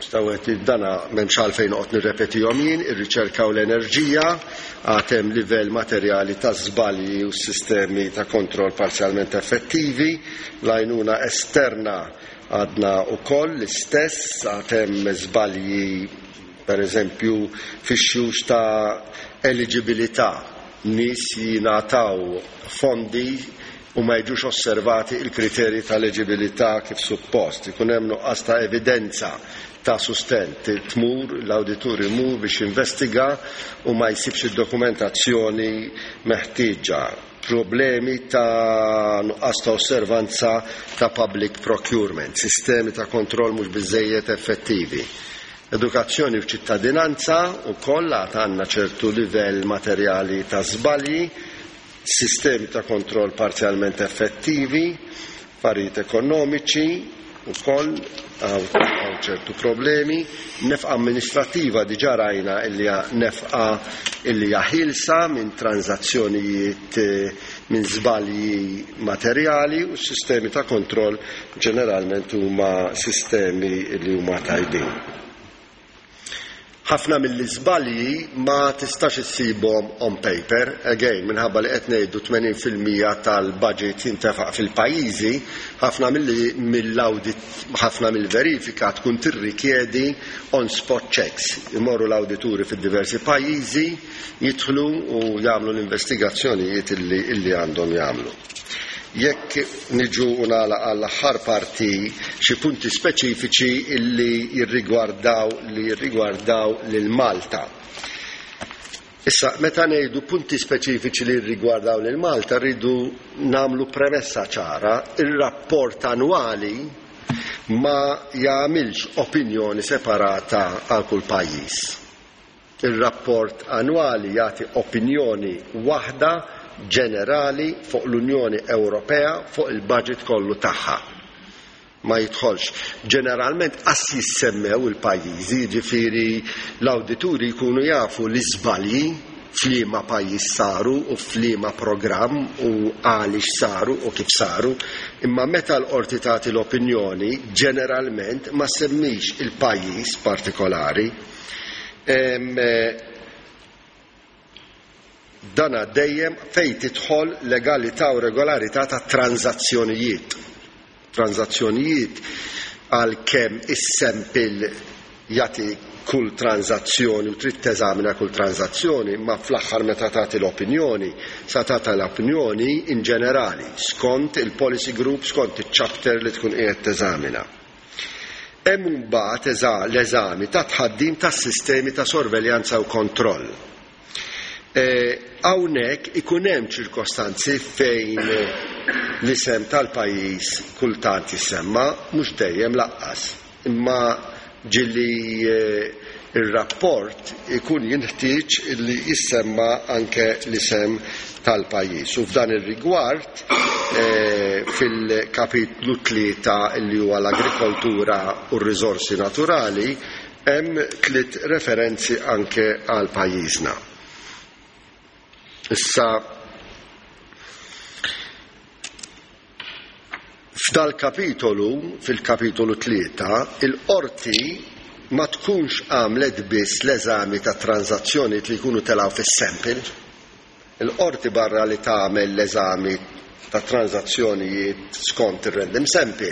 Stawet dana m'hemmx għalfejn noqgħod nirrepetihom jien, ir-riċerka u l-enerġija għad hemm livell materjali ta' żbalji u sistemi ta' kontroll parzjalment effettivi, l-għajnuna esterna għadna wkoll l-istess, għad hemm żbalji pereżempju fix-xjux ta' eliġibilità, nies jingħataw fondi u ma jiġux osservati l-kriterji ta' eliġibilità kif suppost. Ikun hemm nuqqas ta' evidenza ta' sustenn. Tmur, l-awditur imur biex jinvestiga u ma jsibx id-dokumentazzjoni meħtieġa. Problemi ta' nuqqas ta' osservanza ta' public procurement, sistemi ta' kontroll mhux biżżejjed effettivi. Edukazzjoni u ċittadinanza wkoll għad għandna ċertu livell materjali ta' żbalji, sistemi ta' kontroll parzjalment effettivi, affarijiet ekonomiċi wkoll hawn ċertu problemi, nefqa amministrattiva diġà rajna illi hija nefqa illi hija ħielsa minn tranżazzjonijiet minn żbalji materjali u s-sistemi ta' kontroll ġeneralment huma sistemi li huma tajbin. Ħafna mill-iżbalji ma tistax issibhom on paper, again, minħabba li qed ngħidu 80% tal-budget jintefaq fil-pajjiżi, ħafna mill-audit, ħafna mill-verifika tkun tirrikjedi on spot checks. Imorru l-awdituri fid-diversi pajjiżi, jidħlu u jagħmlu l-investigazzjonijiet illi għandhom jagħmlu. Jekk niġu u nagħlaq għall-aħħar parti xi punti speċifiċi illi jirrigwardaw li jirrigwardaw lil Malta. Issa, meta ngħidu punti speċifiċi li jirrigwardaw lil Malta, rridu nagħmlu premessa ċara, ir-rapport annwali ma jagħmilx opinjoni separata għal kull pajjiż. Ir-rapport annwali jagħti opinjoni waħda ġenerali fuq l-Unjoni Ewropea fuq il-budget kollu tagħha. Ma jidħolx. Ġeneralment qas jissemmew il-pajjiżi, jiġifieri l-awdituri jkunu jafu l-iżbalji f'liema pajjiż saru u f'liema programm u għaliex saru u kif saru, imma meta l-qorti tagħti l-opinjoni ġeneralment ma ssemmix il-pajjiż partikolari. Dana dejjem fejn tidħol legalità u regolarità ta' tranżazzjonijiet. Tranżazzjonijiet għalkemm is-sample jagħti kull tranżazzjoni u trid teżamina kull tranżazzjoni, imma fl-aħħar meta tagħti l-opinjoni, sa tagħti l-opinjoni in ġenerali, skont il-policy group, skont iċ-chapter li tkun qiegħed teżamina. Hemm imbagħad l-eżami ta' tħaddim tas-sistemi ta' sorveljanza u kontroll. Hawnhekk ikun hemm ċirkostanzi fejn l-isem tal-pajjiż kultant jissemma, mhux dejjem laqqas, imma ġieli ir-rapport ikun jinħtieġ li jissemma anke l-isem tal-pajjiż. U f'dan ir-rigward fil-kapitlu 3 li huwa l-agrikoltura u r-riżorsi naturali hemm 3 referenzi anke għal pajjiżna. Issa f'dal-kapitolu, fil-kapitolu 3, il-qorti ma tkunx għamlet biss l-eżami ta' tranżazzjonijiet li jkunu telgħu fis-sample. Il-qorti barra li tagħmel l-eżami ta' tranżazzjonijiet skont ir-random sample,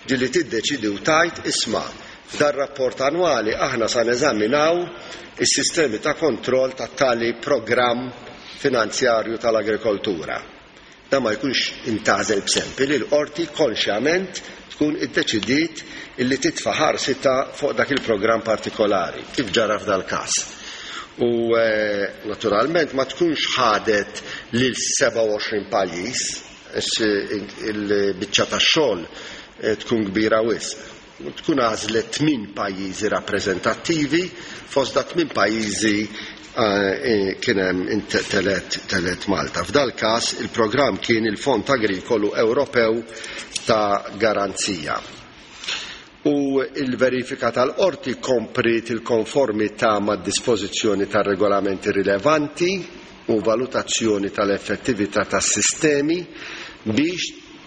ġieli tiddeċidi u tgħid isma' f'dar-rapport annwali aħna sa neżaminaw is-sistemi ta' kontroll ta' tali programm finanzjarju tal-agrikoltura. Dan ma jkunx intgħażel b'sample, il-qorti konxjament tkun iddeċidiet illi titfa' ħarsitha fuq dak il-programm partikolari, kif ġara f'dal-każ. U naturalment ma tkunx ħadet lil 27 pajjiż, għax il-biċċa tax-xogħol tkun kbira wisq. Tkun għażlet 8 pajjiżi rappreżentattivi, fost da 8 pajjiżi kien hemm telet telet Malta. F'dal-każ il-programm kien il-Fond Agrikolu Ewropew ta' Garanzija. U l-verifika tal-qorti kompriet il-konformità mad-dispożizzjoni tar-regolamenti rilevanti u valutazzjoni tal-effettività tas-sistemi biex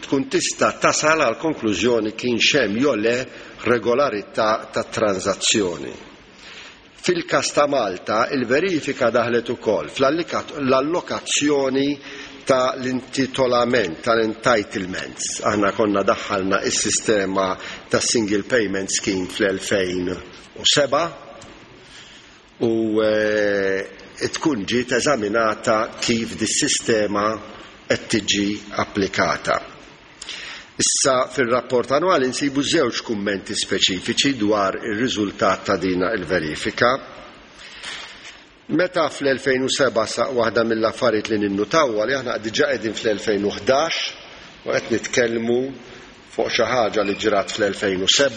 tkun tista' tasal għal konklużjoni kienx hemm jew le regolarità tat-tranżazzjoni. Fil-każ ta' Malta, il-verifika daħlet ukoll fl-allokazzjoni ta' l-intitolament, tal-entitlements. Aħna konna daħħalna s-sistema tas-Single Payment Scheme fl-2007 u tkun ġiet eżaminata kif dis-sistema qed tiġi applikata. Issa fir-rapport annwali nsibu żewġ kummenti speċifiċi dwar ir-riżultat ta' dina il-verifika. Meta fl-2007 sa waħda mill-affarijiet li ninnutaw huwa li aħna diġà qegħdin fl-2011 u qed nitkellmu fuq xi ħaġa li ġrat fl-2007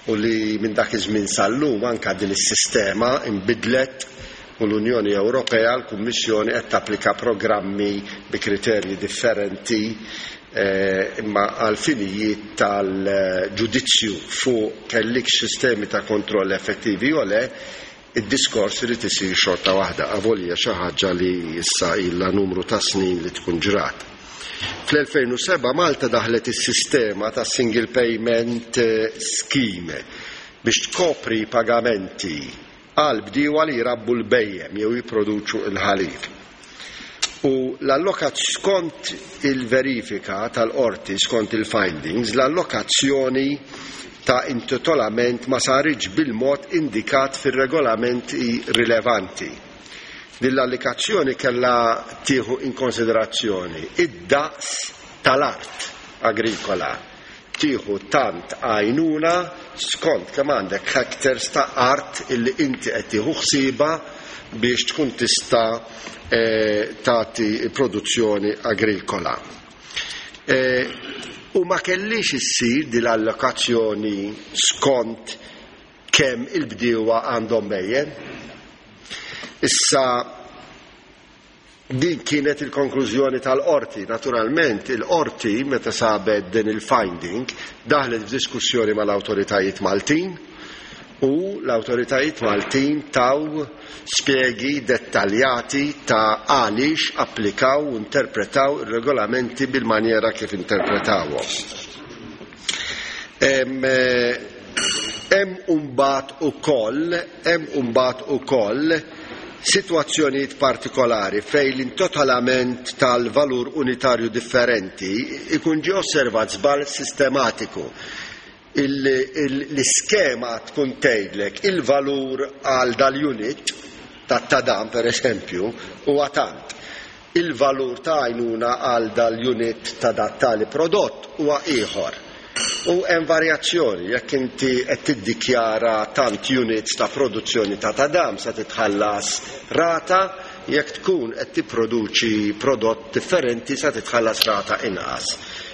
u li minn dak iż-żmien sal-lum anke din is-sistema inbidlet u l-Unjoni Ewropea, l-Kummissjoni qed tapplika programmi bi kriterji differenti imma għal finijiet tal-ġudizzju fuq kellikx sistemi ta' kontroll effettivi jew le, id-diskors irid isir xorta waħda, avolja xi ħaġa li issa ilha numru ta' snin li tkun ġrat. Fl-2007 Malta daħlet is-sistema ta' Single Payment Scheme biex tkopri pagamenti għal bdiewa li jrabbu l-bhejjem jew jipproduċu l-ħalib. U l-allokat skont il-verifika tal-qorti, skont il-findings, l-allokazzjoni ta' intitolament ma saritx bil-mod indikat fir-regolamenti rilevanti. Din l-allikazzjoni kellha tieħu in konsiderazzjoni id-daqs tal-art agrikola, tieħu tant għajnuna skont kemm għandek hectares ta' art illi inti qed tieħu ħsiebha biex tkun tista' tagħti produzzjoni agrikola. U ma kellhiex issir din l-allokazzjoni skont kemm il-bdiewa għandhom bhejjem. Issa din kienet il-konklużjoni tal-qorti. Naturalment, il-qorti meta sabet din il-finding daħlet f'diskussjoni mal-awtoritajiet Maltin u l-awtoritajiet Maltin taw spjegi dettaljati ta' għaliex applikaw u interpretaw ir-regolamenti bil-manjera kif interpretawhom. Hemm imbagħad ukoll hemm imbagħad ukoll sitwazzjonijiet partikolari fejn l-intotolament tal-valur unitarju differenti jkun ġie osservat żball sistematiku. L-iskema tkun tgħidlek il-valur għal dal-unit tat-tadam pereżempju huwa tant. Il-valur ta' għajnuna għal dal-unit ta' dat-tali prodott huwa ieħor. U hemm varjazzjoni, jekk inti qed tiddikjara tant units ta' produzzjoni ta' tadam se titħallas rata, jekk tkun qed tipproduċi prodott differenti se titħallas rata inqas.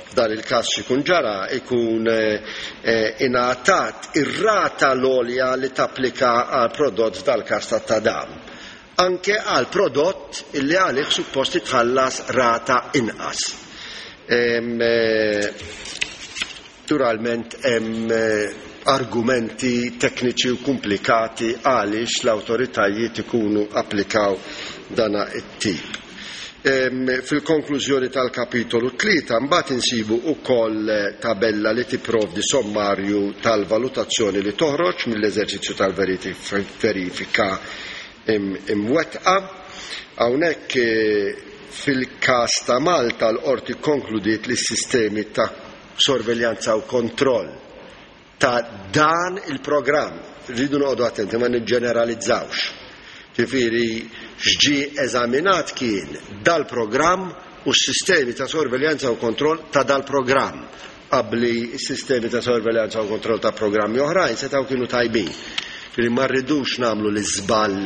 F'dan il-każ x'ikun ġara, ikun ingħatat ir-rata l-għolja li tapplika għall-prodott f'dal-każ tat-tadam. anke għal prodott illi għalih suppost titħallas rata inqas. Naturalment hemm argumenti tekniċi u komplikati għaliex l-awtoritajiet ikunu applikaw dana it-tip. Fil-konklużjoni tal-kapitolu 3 mbagħad insibu wkoll tabella li tipprovdi sommarju tal-valutazzjoni li toħroġ mill-eżerċizzju tal-verifika imwettqa. Hawnhekk fil-każ ta' Malta l-Qorti kkonkludiet li s-sistemi ta' sorveljanza u kontroll ta' dan il-programm, rridu noqogħdu attenti ma niġġeneralizzawx. Ġifieri x'ġie eżaminat kien dal-programm u s-sistemi ta' sorveljanza u kontroll ta' dal-programm. Qabli s-sistemi ta' sorveljanza u kontroll ta' programmi oħrajn setgħu kienu tajbin. Ġifieri ma rridux nagħmlu l-iżball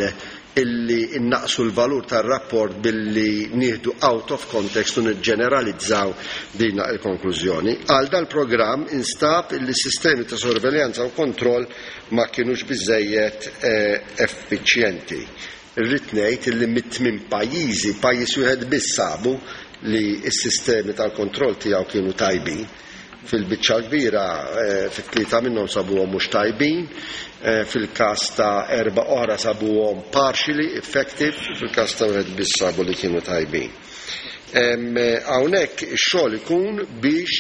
illi nnaqqsu l-valur tar-rapport billi nieħdu out of context u niġġeneralizzaw din il-konklużjoni. Għal dal-programm instab illi s-sistemi ta' sorveljanza u kontroll ma kinux biżżejjed effiċjenti. Irrid ngħid illi mit-tmien pajjiżi, pajjiż wieħed biss sabu li s-sistemi tal-kontroll tiegħu kienu tajbin. Fil-biċċa l-kbira, fi tlieta minnhom sabuhom mhux tajbin, fil-każ ta' erbgħa oħra sabuhom partially effective, u fil-każ ta' wieħed biss sabu li kienu tajbin. Hawnhekk ix-xogħol ikun biex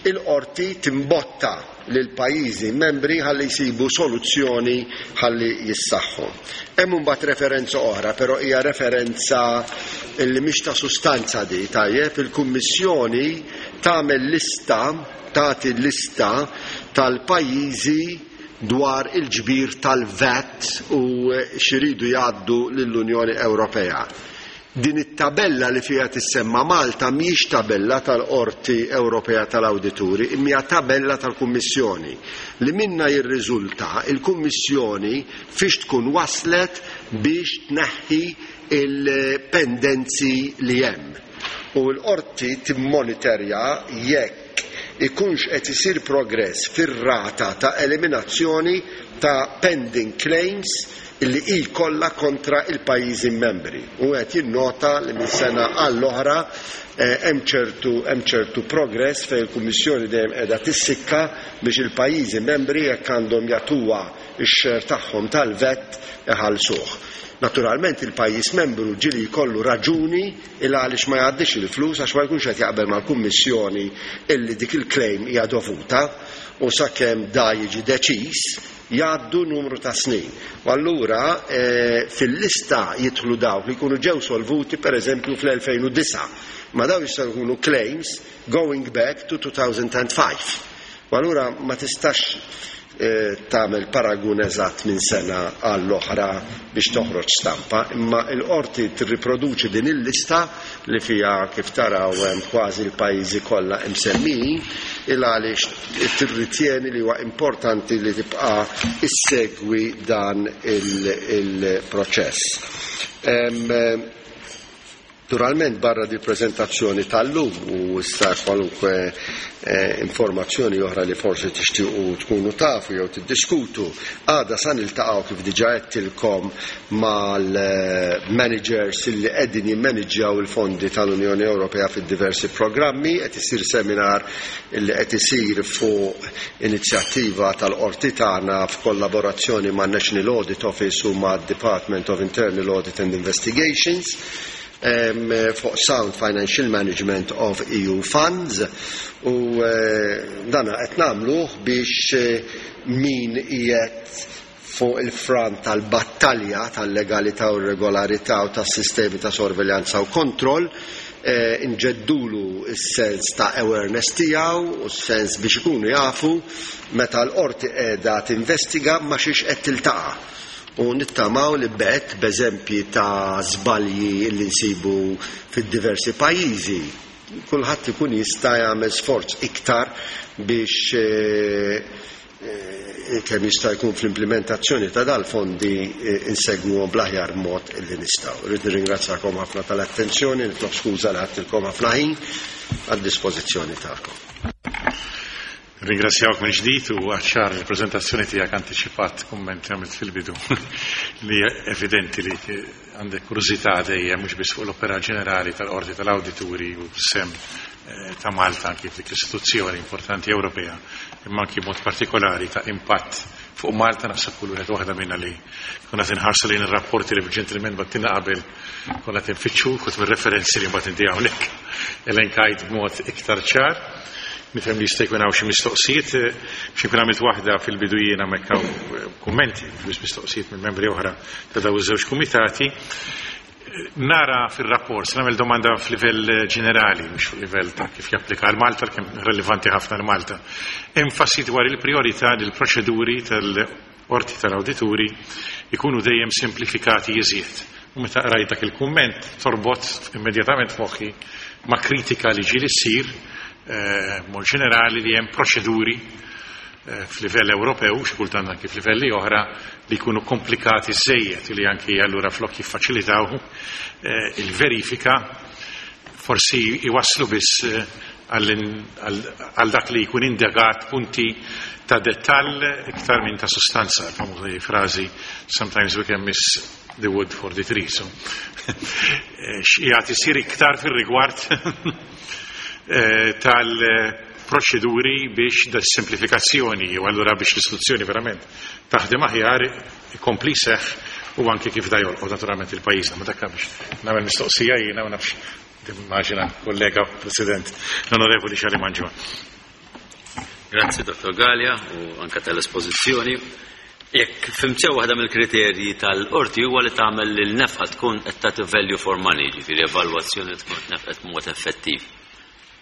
il-Qorti timbotta lill-pajjiżi membri ħalli jsibu soluzzjoni ħalli jissaħħu. Hemm imbagħad referenza oħra, però hija referenza li mhix ta' sustanza di, tajjeb, il-Kummissjoni tagħmel lista, tagħti lista tal-pajjiżi dwar il-ġbir tal-VAT u x'iridu jgħaddu lill-Unjoni Ewropea. Din it-tabella li fiha tissemma Malta mhijiex tabella tal-Qorti Ewropea tal-Awdituri imma hija tabella tal-Kummissjoni li minnha jirriżulta l-Kummissjoni fiex tkun waslet biex tneħħi l-pendenzi li hemm. U l-Qorti timmoniterja jekk ikunx qed isir progress fir-rata ta' eliminazzjoni ta' pending claims li hi kollha kontra il-pajjiżi membri. U qed jinnota li minn sena għall-oħra hemm ċertu hemm ċertu progress fejn il-Kummissjoni dejjem qiegħda tissikka biex il-pajjiżi membri jekk għandhom jagħtuha x-share tagħhom tal-VAT iħallsuh. Naturalment il-pajjiż membru ġieli jkollu raġuni il għaliex ma jgħaddix il-flus għax ma jkunx qed jaqbel mal-Kummissjoni illi dik il-claim hija dovuta u sakemm da jiġi deċiż Jgħaddu numru ta' snin. U allura fil-lista jidħlu dawk li jkunu ġew solvuti pereżempju fl-2009. Ma dawn jistgħu jkunu claims going back to 2005. U allura ma tistax tagħmel paragun eżatt minn sena għall-oħra biex toħroġ stampa, imma l-Qorti tirriproduċi din il-lista li fiha kif taraw hemm kważi l-pajjiżi kollha imsemmijin, il għaliex tirritjeni li huwa importanti li tibqa' issegwi dan il-proċess. Naturalment barra di prezentazzjoni tal-lum u issa kwalunkwe informazzjoni oħra li forsi tixtiequ tkunu tafu jew tiddiskutu, għada sa niltaqgħu kif diġà għedtilkom mal-managers li qegħdin jimmaniġġjaw il-fondi tal-Unjoni Ewropea fid-diversi programmi, qed isir seminar li qed isir fuq inizjattiva tal-Qorti tagħna f'kollaborazzjoni man-National Audit Office u mad-Department of Internal Audit and Investigations fuq Sound Financial Management of EU Funds u dan qed nagħmluh biex min qiegħed fuq il-front tal-battalja tal-legalità u r-regolarità u tas-sistemi ta' sorveljanza u kontroll, inġeddulu s-sens ta' awareness tiegħu u s-sens biex ikunu jafu meta l-qorti qiegħda tinvestiga ma' xiex qed tiltaqa'. U nittamaw li b'hekk, b'eżempji ta' żbalji li nsibu fid-diversi pajjiżi, kulħadd ikun jista' jagħmel sforz iktar biex kemm jista' jkun fl-implimentazzjoni ta' dal-fondi insegwuhom bl-aħjar mod illi nistgħu. Irrid nirringrazzjakom ħafna tal-attenzjoni, nitlob skuża li ħadtilkom ħafna ħin għad-dispożizzjoni tagħkom. Ringrazzjawk minn ġdid u għaċ-ċar il-preżentazzjoni tiegħek antiċipat kumment li għamilt fil-bidu li evidenti li għandek kurżità dejjem mhux biss fuq l-opera ġenerali tal-Qorti tal-Awdituri u sem ta' Malta anki f'dik l-istituzzjoni importanti Ewropea, imma anki mod partikolari ta' impatt fuq Malta. Naħseb kull wieħed waħda minna li konna tinħarsu lejn ir-rapporti li ġentilmen battina qabel konna tinfittxu kut mir-referenzi li mbagħad inti hawnhekk elenkajt b'mod iktar ċar. Nifhem li jista' jkun hawn xi mistoqsijiet, xi nkun għamilt waħda fil-bidu jiena hemmhekk hawn kummenti, mhux mistoqsijiet minn membri oħra ta' dawn iż-żewġ kumitati. Nara fir-rapport, se nagħmel domanda f'livell ġenerali, mhux fuq livell ta' kif japplika għal Malta, kemm relevanti ħafna għal Malta. Enfasi dwar il-priorità li l-proċeduri tal-Qorti tal-Awdituri jkunu dejjem simplifikati iżjed. U meta qrajt dak il-kumment torbot immedjatament f'moħħi ma' kritika li ġieli ssir mod ġenerali li hemm proċeduri f'livell Ewropew, xi kultant anki f'livelli oħra, li jkunu komplikati żejjed li anki allura flok jiffaċilitaw il-verifika forsi jwasslu biss għal dak li jkun indagat punti ta' dettall iktar minn ta' sustanza, l-famuża frażi sometimes we can miss the wood for the tree. So, x'qiegħed isir iktar fir-rigward tal-proċeduri biex da simplifikazzjoni u allura biex l-istituzzjoni verament taħdem aħjar ikompli seħ u anke kif da jolqot naturalment il-pajjiżna. Ma dakka biex nagħmel mistoqsija jiena ma nafx immaġina kollega President l-Onorevoli Charlie Mangion. Grazzi Dr. Galea u anka tal-espożizzjoni. Jekk fhimt sew waħda mill-kriterji tal-qorti huwa li tagħmel li l-nefqa tkun qed tagħti value for money, ġifieri evalwazzjoni tkun nefqet b'mod effettiv.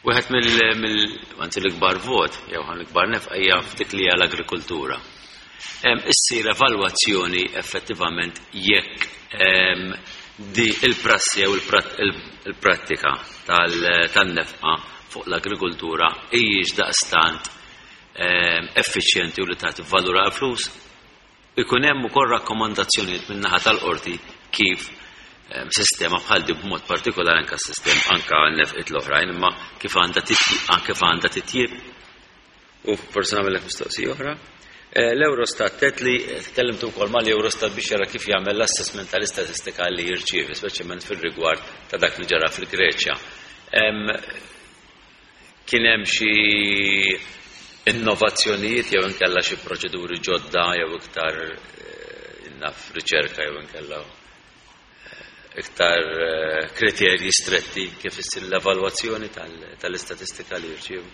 Wieħed mill anzi l-ikbar vot jew l-ikbar nefqa hija f'dik li hija l-agrikultura. Issir evalwazzjoni effettivament jekk di il-prassi jew il-prattika tan-nefqa fuq l-agrikultura hijiex daqstant effiċjenti u li tagħti valur għal flus. Ikun hemm ukoll rakkomandazzjonijiet min-naħa tal-qorti kif sistema bħal di b'mod partikolari anke s-sistema anke nefqiet l-oħrajn imma kif għandha kif għandha titjib. U forsi nagħmellek mistoqsija oħra. L-Eurostat tet li tkellimtu wkoll mal-Eurostat biex jara kif jagħmel l-assessment tal-istatistika li jirċievi, speċjalment fir-rigward ta' dak li ġara fil-Greċja. Kien hemm xi innovazzjonijiet jew inkella xi proċeduri ġodda jew iktar naf riċerka jew inkella iktar kriterji stretti kif issir l-evalwazzjoni tal-istatistika li jirċievu?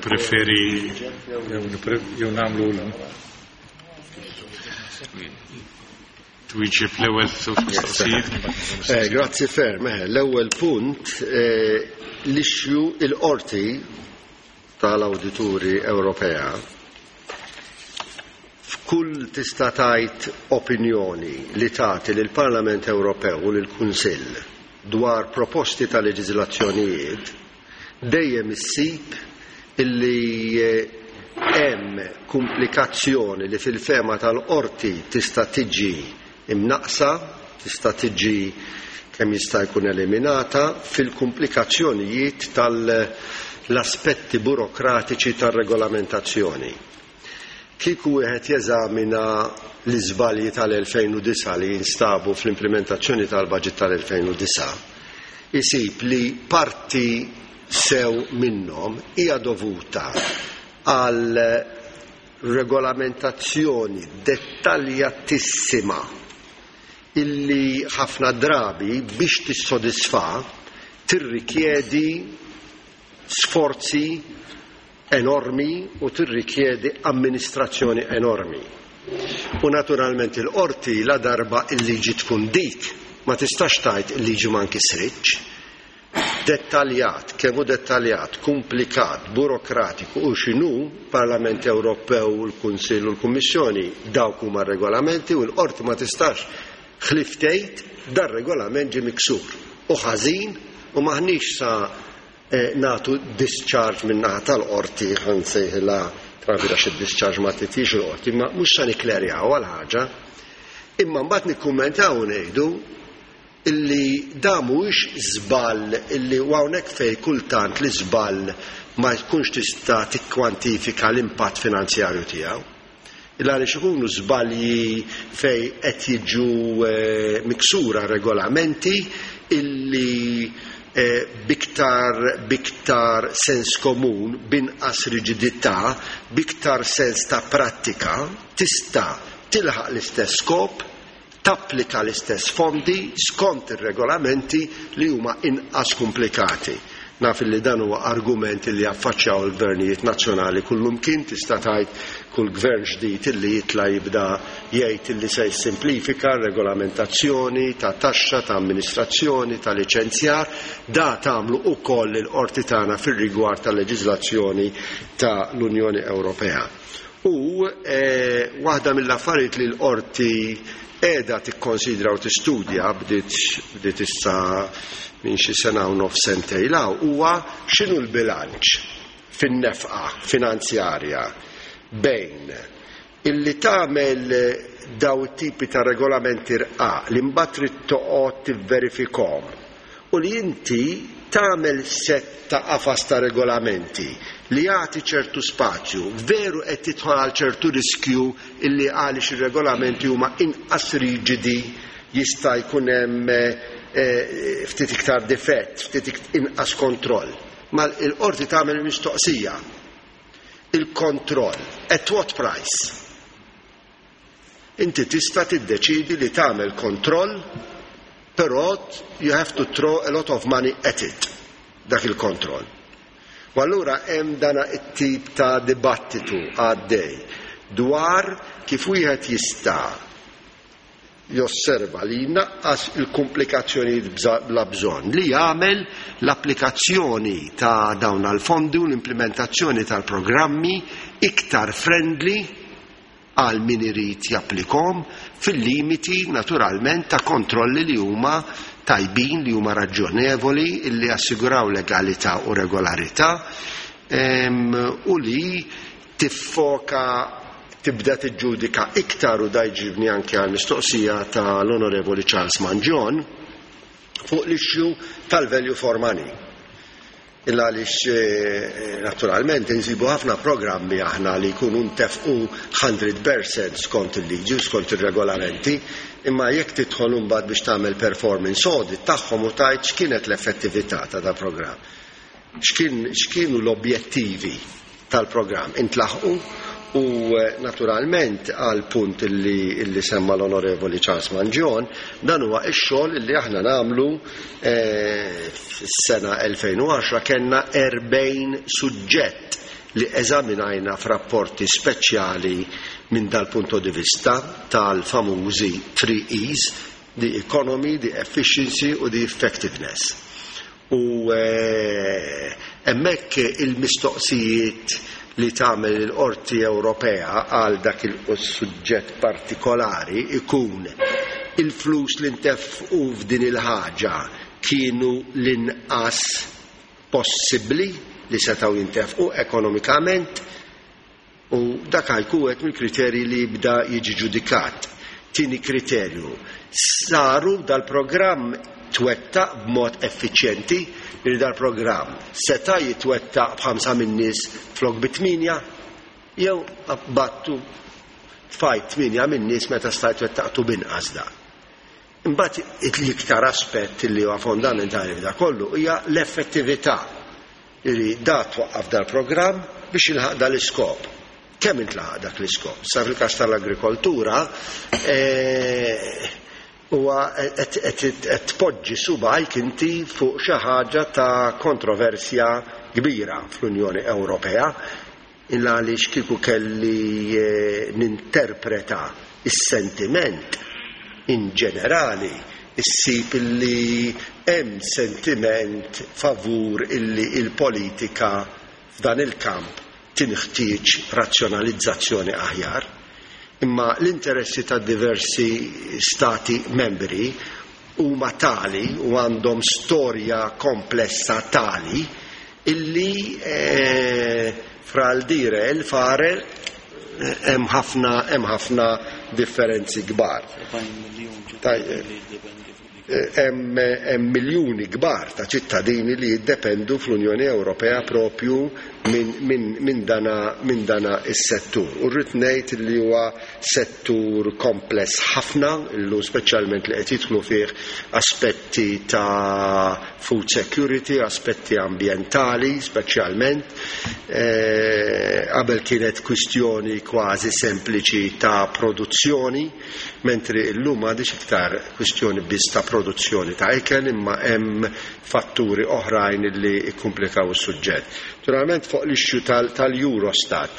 Preferi jew nagħmlu l twieġeb l-ewwel żewġ mistoqsijiet. Grazzi ferm. L-ewwel punt l-issue il-qorti tal-Awdituri Ewropea f'kull tista' tgħid opinjoni li tagħti lill-Parlament Ewropew u lill-Kunsill dwar proposti ta' leġiżlazzjonijiet dejjem issib illi hemm komplikazzjoni li fil-fehma tal-qorti tista' tiġi imnaqsa, tista' tiġi kemm jista' jkun eliminata fil-komplikazzjonijiet tal-aspetti burokratiċi tar-regolamentazzjoni. Kieku wieħed jeżamina l-iżbalji tal-2009 li jinstabu fl-implementazzjoni tal-budget tal-2009, isib li parti sew minnhom hija dovuta għal regolamentazzjoni dettaljatissima illi ħafna drabi biex tissodisfa tirrikjedi sforzi enormi u tirrikjedi amministrazzjoni enormi. U naturalment il-qorti la darba il-liġi tkun dik, ma tistax tgħid il-liġi ma nkisritx. Dettaljat, kemm hu dettaljat, komplikat, burokratiku u x'inhu Parlament Ewropew, il-Kunsill u l-Kummissjoni dawk huma regolamenti u l-qorti ma tistax ħlief tgħid dar-regolament ġie miksur u ħażin u maħniex sa nagħtu discharge min-naħa tal-qorti ħa nsejħilha travila xi discharge ma titix il-qorti, ma mhux sa nikklerjaw għal ħaġa. Imma mbagħad nikkummentaw u ngħidu illi da mhuwiex żball illi u hawnhekk fejn kultant li żball ma jkunx tista' tikkwantifika l-impatt finanzjarju tiegħu. Illa għaliex ikunu żbalji fejn qed jiġu miksura regolamenti illi biktar sens komun, binqas riġidità, biktar sens ta' prattika, tista' tilħaq l-istess skop, tapplika l-istess fondi skont ir-regolamenti li huma inqas komplikati. Naf li dan huwa argument li affaċċjaw il-gvernijiet nazzjonali kullumkien, tista' tgħid kull gvern ġdid illi jitla' jibda jgħid illi se jissimplifika regolamentazzjoni ta' taxxa, ta' amministrazzjoni, ta' liċenzjar, da tagħmlu ukoll il-qorti tagħna fir-rigward tal-leġiżlazzjoni ta' l-Unjoni Ewropea. U waħda mill-affarijiet li l-qorti qiegħda tikkonsidra u tistudja bdiet issa minn xi sena u nofs sentejn hawn huwa x'inhu l-bilanċ fin-nefqa finanzjarja bejn illi tagħmel daw it-tipi ta' regolamenti rqaq li mbagħad trid toqgħod tivverifikhom u li inti tagħmel sett ta' qafas ta' regolamenti li jagħti ċertu spazju, veru qed tidħol għal ċertu riskju illi għaliex ir-regolamenti huma inqas riġidi jista' jkun hemm ftit iktar difett, ftit inqas kontroll. Ma l-qorti tagħmel il-mistoqsija. Il-kontroll, at what price? Inti tista' tiddeċidi li tagħmel kontroll, però you have to throw a lot of money at it, dak il-kontroll. U allura hemm dana it-tip ta' dibattitu għaddej dwar kif wieħed jista' josserva li jnaqqas il-komplikazzjonijiet bla bżonn, li jagħmel l-applikazzjoni ta' dawn għal-fondi u l-implementazzjoni tal-programmi iktar friendly għal min irid japplikom, fil-limiti naturalment ta' kontrolli li huma tajbin, li huma raġjonevoli, li assiguraw legalità u regolarità, u li tiffoka, tibda tiġġudika iktar, u da jġibni anke għal mistoqsija tal-Onorevoli Charles Mangion fuq l-issue tal-value for money. Illa għaliex naturalment insibu ħafna programmi aħna li jkunu ntefqu 100% skont il-liġi u skont ir-regolamenti, imma jekk tidħol imbagħad biex tagħmel performance audit tagħhom u tgħid x'kienet l-effettività ta' da programm, x'kienu l-objettivi tal-programm, intlaħqu? U naturalment għal punt illi semma l-Onorevoli Charles Mangion, dan huwa x-xogħol illi aħna nagħmlu. Fis-sena 2010 kellna 40 suġġett li eżaminajna f'rapporti speċjali minn dal-punto di vista tal-famużi 3 E's, the economy, the efficiency u the effectiveness. U hemmhekk il-mistoqsijiet li tagħmel il-Qorti Ewropea għal dak il-suġġett partikolari ikun il-flus li ntefqu f'din il-ħaġa kienu l-inqas possibbli li setgħu jintefqu ekonomikament, u dak jkun wieħed mill-kriterji li jibda jiġi ġudikat. Tieni kriterju, saru dal-programm twettaq b'mod effiċjenti, li dal-programm seta' jitwettaq b'ħamsa min-nies flok bi 8, jew battu tfajt 8 min-nies meta stajt wettaqtu binqas da. Imbagħad l-iktar aspett li huwa fondamentali f'da kollu hija l-effettività, li da twaqqaf dal-programm biex jilħaq dal-iskop. Kemm intlaħaq dak l-iskop? Sa fil-każ tal-agrikoltura, huwa qed tpoġġi subgħajk inti fuq xi ħaġa ta' kontroversja kbira fl-Unjoni Ewropea, illa għaliex kieku kelli ninterpreta is-sentiment in ġenerali, issib illi hemm sentiment favur illi il-politika f'dan il-kamp tinħtieġ razzjonalizzazzjoni aħjar. Imma l-interessi ta' diversi stati membri huma tali u għandhom storja komplessa tali illi fra l-dire e l-fare hemm ħafna differenzi kbar. Hemm miljuni kbar ta' ċittadini li jiddependu fl-Unjoni Ewropea propju minn dana is-settur. U rrid ngħid li huwa settur kompless ħafna, illum speċjalment li qed jidħlu fih aspetti ta' food security, aspetti ambjentali speċjalment. Qabel kienet kwistjoni kważi sempliċi ta' produzzjoni, mentri llum m'għadix iktar kwistjoni biss ta' produzzjoni ta' ikel, imma hemm fatturi oħrajn li kkomplikaw is-suġġett. Naturalment fuq l-issue tal-Eurostat,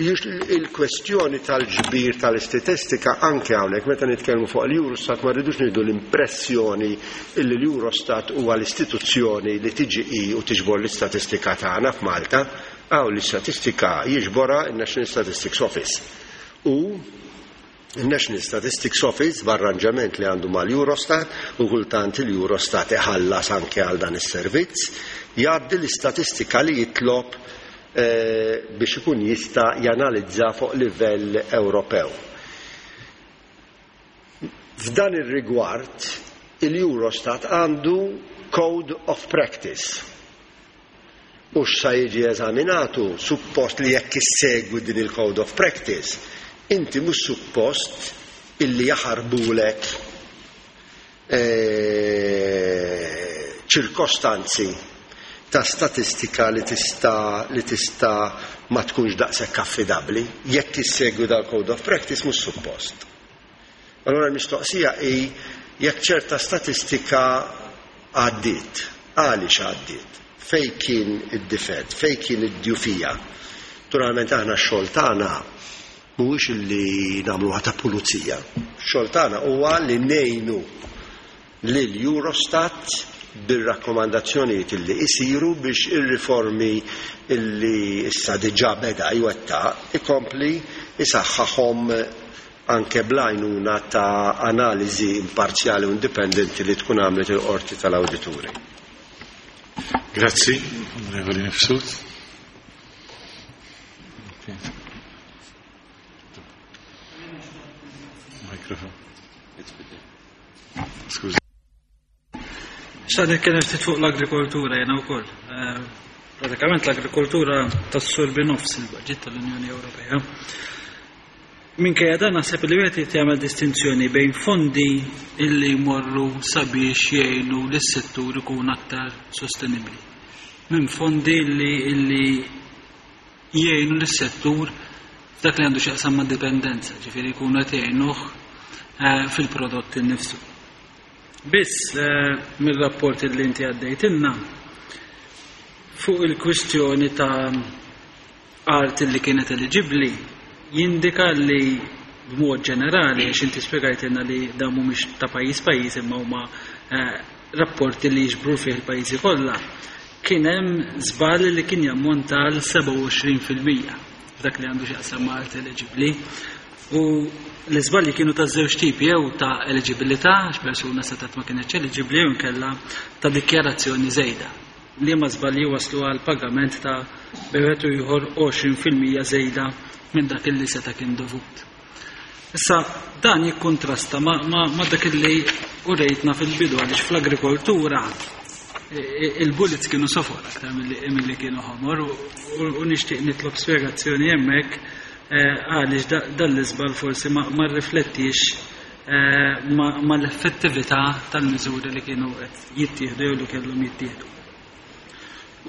il-kwestjoni tal-ġbir tal-istatistika anke hawnhekk meta nitkellmu fuq l-Eurostat ma rridux nieħdu l-impressjoni illi l-Eurostat huwa l-istituzzjoni li tiġi hi u tiġbor l-istatistika tagħna f'Malta. Hawn l-istatistika jiġborha n-National Statistics Office. U il-National Statistics Office b'arranġament li għandu mal-Eurostat, u kultant il-Eurostat iħallas anke għal dan is-servizz, jgħaddi l-istatistika li jitlob biex ikun jista' janalizza fuq livell Ewropew. F'dan ir-rigward il-Eurostat għandu Code of Practice. U x'sa jiġi eżaminat hu suppost li jekk issegwi din il-Code of Practice, inti mhux suppost illi jaħarbulek ċirkostanzi ta' statistika li tista' li tista' ma tkunx daqshekk affidabbli. Jekk issegwi dal-Code of Practice mhux suppost. Allura l-mistoqsija hi jekk ċerta statistika għaddiet, għaliex għaddiet, fejn kien id-difett, fejn kien id-djufija. Naturalment aħna x-xogħol tagħna mhuwiex li nagħmluha ta' pulizija. X-xogħol tagħna huwa li ngħinu lil Eurostat bir-rakkomandazzjonijiet illi isiru biex ir-riformi illi issa diġà beda jwettaq ikompli jsaħħaħhom anke bl-għajnuna ta' analiżi imparzjali u indipendenti li tkun għamlet il-Qorti tal-Awdituri. Grazzi, Onorevoli Mifsud. Mikrofon. Skużi. Xtaqt nitkellem ftit fuq l-agrikoltura jiena wkoll. Eh, pratikament l-agrikoltura tassorbi nofs il-budget tal-Unjoni Ewropea. Minkejja dan naħseb li wieħed irid jagħmel distinzjoni bejn fondi illi jmorru sabiex jgħinu lis-settur ikun aktar sostenibbli. Minn fondi illi, illi jgħinu lis-settur f'dak li għandu x'jaqsam ma' dipendenza, ġifieri jkunu qed jgħinuh eh, fil-prodott innifsu. Biss mir-rapport li inti għaddejtilna fuq il-kwistjoni ta' art li kienet eliġibbli jindika li b'mod ġenerali, għax inti spjegajtilna li dawn mhumiex ta' pajjiż pajjiż imma huma eh, rapporti li jiġbru fih il-pajjiżi kollha, kien hemm żball li kien jammonta għal 27% f'dak li għandu x'jaqsam ma' art eliġibbli. U l-iżbalji kienu ta' żewġ tipi jew ta' eliġibilità, għax persuna setgħet ma kinetx eliġibbli jew inkella ta' dikjarazzjoni żejda. Liema żbalji waslu għal pagament ta' bejn wieħed u ieħor 20% żejda minn dak illi seta' kien dovut. Issa dan jikkuntrasta ma', ma, ma dak illi urejtna fil-bidu għaliex fl-agrikoltura il-bullets kienu sofor aktar milli kienu ħomor u nixtieq nitlob spjegazzjoni hemmhekk għaliex dan l-iżball forsi ma rriflettix mal-effettività tal-miżuri li kienu qed jittieħdu jew li kellhom jittieħdu.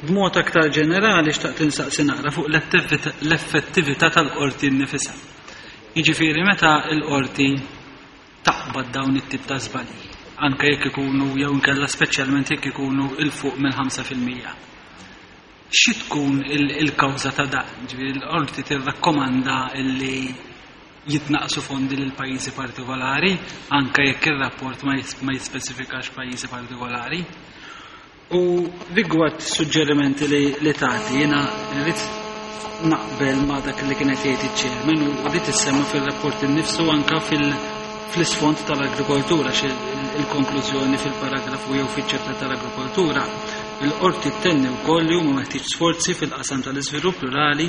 B'mod aktar ġenerali xtaqt insaqsi naqra fuq l-effettività tal-qorti nnifisha. Jiġifieri meta l-qorti taqbad dawn it-tip ta' żbalji, anke jekk ikunu jew inkella speċjalment jekk ikunu 'l fuq minn 5%. Xi tkun il-kawża ta' dan? Ġifieri l-qorti tirrakkomanda li jitnaqqsu fondi lil pajjiżi partikolari, anke jekk ir-rapport ma jispeċifikax pajjiżi partikolari. U rigward suġġerimenti li, li tagħti, jiena rrid naqbel ma' dak li kien qed jgħid iċ-chairman u di tissemma fir-rapport innifsu anke fil- fl-isfond tal-agrikoltura il-konklużjoni fil-paragrafu jew fiċ-ċepta tal-agrikoltura Il-Qorti ttenni wkoll li huma meħtieġ sforzi fil-qasam tal-iżvilupp rurali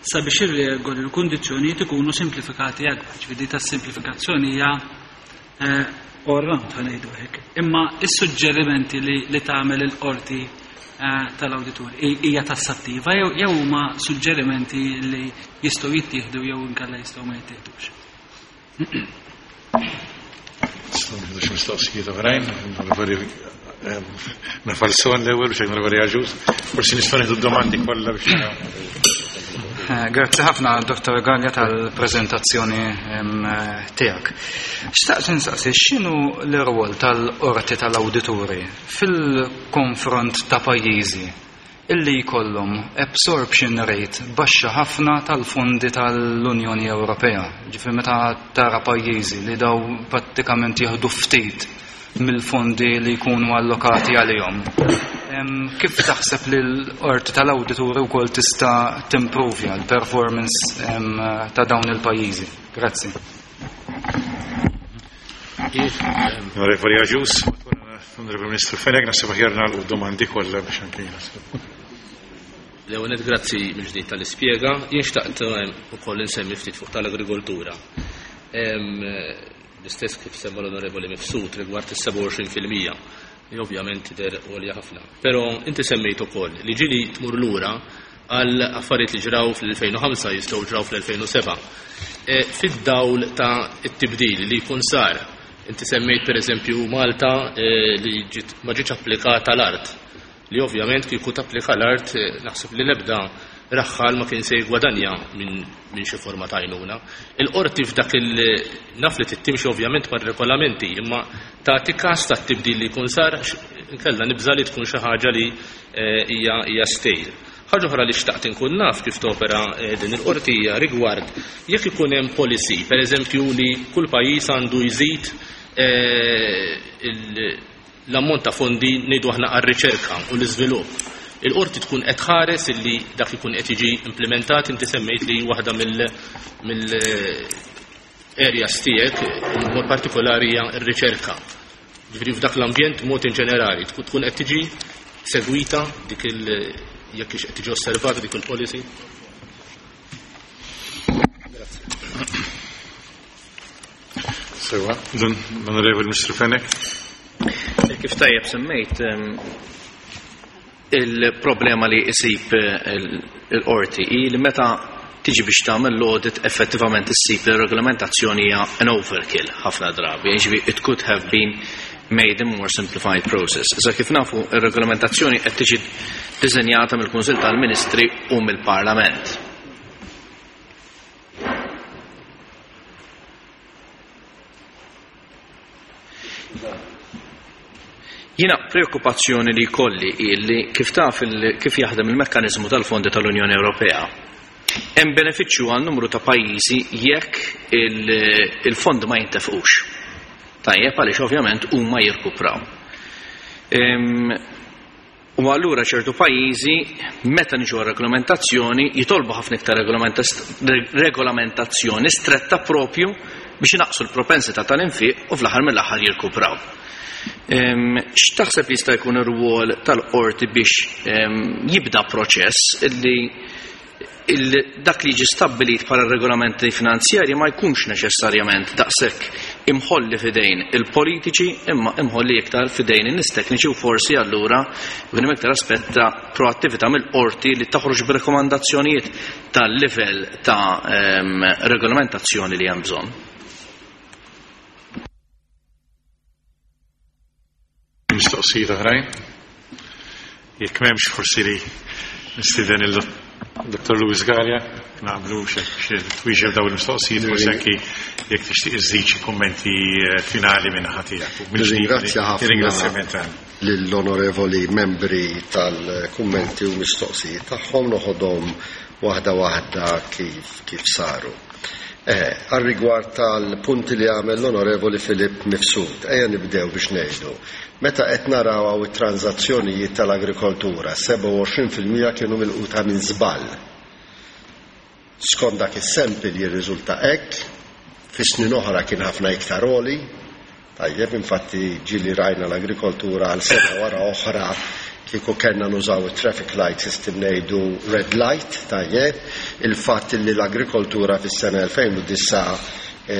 sabiex ir-regoli u l-kundizzjonijiet ikunu simplifikati akbar. Ġifieri tas-simplifikazzjoni hija eh, all round ħa ngħidu hekk. Imma is-suġġerimenti li, li tagħmel il-qorti eh, tal-awditur hija tassattiva jew jew huma suġġerimenti li jistgħu jittieħdu jew inkella jistgħu ma jittieħdux. Nistgħu mistoqsijiet oħrajn, nafalson l-ewwel biex onorevoli Aġus, forsi nistgħu nieħdu domandi kollha biex eh, Grazzi ħafna Dr. Gallia tal-prezentazzjoni tiegħek. Xtaqt insaqsi x'inhu l-irwol tal-qorti tal-awdituri fil-konfront ta' pajjiżi illi jkollhom absorption rate baxxa ħafna tal-fondi tal-Unjoni Ewropea. Ġifieri meta tara pajjiżi li daw prattikament jieħdu ftit mill-fondi li jkunu allokati għalihom. Kif taħseb li l-qorti tal-awdituri wkoll tista' timprovja l-performance ta' dawn il-pajjiżi? Grazzi. Onorevoli Agius, Onorevoli Ministru Fenech, naħseb aħjar nagħlqu domandi kollha biex anke L-ewwel grazzi mill-ġdid tal-ispjega. Jien xtaqt ukoll insemmi ftit fuq tal-agrikoltura. L-istess kif semma l-Onorevoli Mifsud rigward is-27%. li ovvjament tidher għolja ħafna. Però inti semmejt ukoll li ġieli tmur lura għal affarijiet li ġraw fl-2005 jistgħu ġraw fl-2007. Fid-dawl ta' it-tibdil li jkun sar, inti semmejt pereżempju Malta li ma ġietx applikata l-art, li ovvjament kieku tapplika l-art naħseb li l-ebda raħħal ma kien se jigwadanja minn xi forma ta' għajnuna. Il-qorti f'dak il naf li tittimxi ovvjament mar-regolamenti, imma tagħti każ tat-tibdil li jkun sar, inkella nibża' li tkun xi ħaġa li hija stale. Ħaġa oħra li xtaqt inkun naf kif topera din il-qorti hija rigward jekk ikun hemm policy, pereżempju li kull pajjiż għandu jżid l-ammont ta' fondi ngħidu aħna għar-riċerka u l-iżvilupp. Il-qorti tkun qed tħares illi dak ikun qed jiġi implementat, inti semmejt li waħda mill areas tiegħek mod partikolari hija r-riċerka. Ġifieri f'dak l-ambjent mod in ġenerali tkun qed tiġi segwita dik il jekk qed tiġi osservata dik il-policy. Sewa, l-Onorevoli Mr. Fenech. Kif tajjeb semmejt, il-problema li isib il-qorti hi li meta tiġi biex tagħmel l-audit effettivament issib li regolamentazzjoni hija an overkill ħafna drabi, jiġifieri it could have been made a more simplified process. Issa kif nafu ir-regolamentazzjoni qed tiġi diżenjata mill-Kunsill tal-Ministri u mill-Parlament. Jiena preokkupazzjoni li jkolli hi li kif taf kif jaħdem il-mekkaniżmu tal-fondi tal-Unjoni Ewropea. Hemm benefiċċju għal numru ta' pajjiżi jekk il-fondi ma jintefqux. Tajjeb għaliex ovvjament huma jirkupraw. U allura ċertu pajjiżi meta niġu għar-regolamentazzjoni jitolbu ħafna iktar regolamentazzjoni stretta propju biex inaqqsu l-propensità tal-infiq u fl-aħħar mill-aħħar jirkupraw. X'taħseb jista' jkun ir-rwol tal-qorti biex jibda proċess li dak li jiġi stabbilit bħala regolamenti finanzjarji ma jkunx neċessarjament daqshekk imħolli f'idejn il-politiċi imma imħolli iktar f'idejn in-nies tekniċi u forsi allura jkun hemm iktar aspett ta' proattività mill-qorti li toħroġ b'rekomandazzjonijiet tal-livell ta' regolamentazzjoni li hemm bżonn. Mistoqsijiet oħrajn? Jekk m'hemmx forsi li nistieden il-Dr. Louis Galea, naqblu xi twieġeb dawn il-mistoqsijiet, forsi anki jekk tixtieq iżżid xi kummenti finali minn naħa tiegħek. Nirringrazzja ħafna Ringrazzjament tagħna. lill-onorevoli membri tal-kummenti u mistoqsijiet tagħhom, noħodhom waħda waħda kif saru. Għal rigward tal-punti li għamel l-onorevoli Filip Mifsud, ejja nibdew biex ngħidu. Meta qed naraw hawn it-transazzjonijiet tal-agrikoltura, 27% kienu milquta minn żball. Skont dak is-sample jirriżulta hekk, fi snin oħra kien ħafna iktar għoli. Tajjeb, infatti ġieli rajna l-agrikoltura għal sena wara oħra kieku kellna nużaw it-traffic light system ngħidu red light, tajjeb, il-fatt li l-agrikoltura fis-sena 2009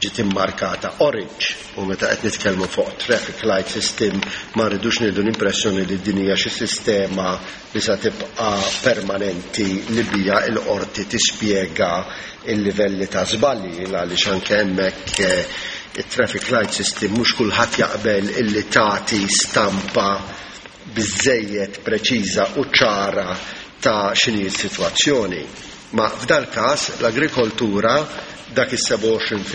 ġiet immarkata orange, u meta qed nitkellmu fuq traffic light system ma rridux nieħdu l-impressjoni li din hija xi sistema li sa tibqa' permanenti li bija l-qorti tispjega il-livelli ta' żbalji, għaliex anke hemmhekk it-traffic light system mhux kulħadd jaqbel illi tagħti stampa biżżejjed preċiża u ċara ta' x'inhi s-sitwazzjoni. Ma f'dal każ l-agrikoltura dak is-27%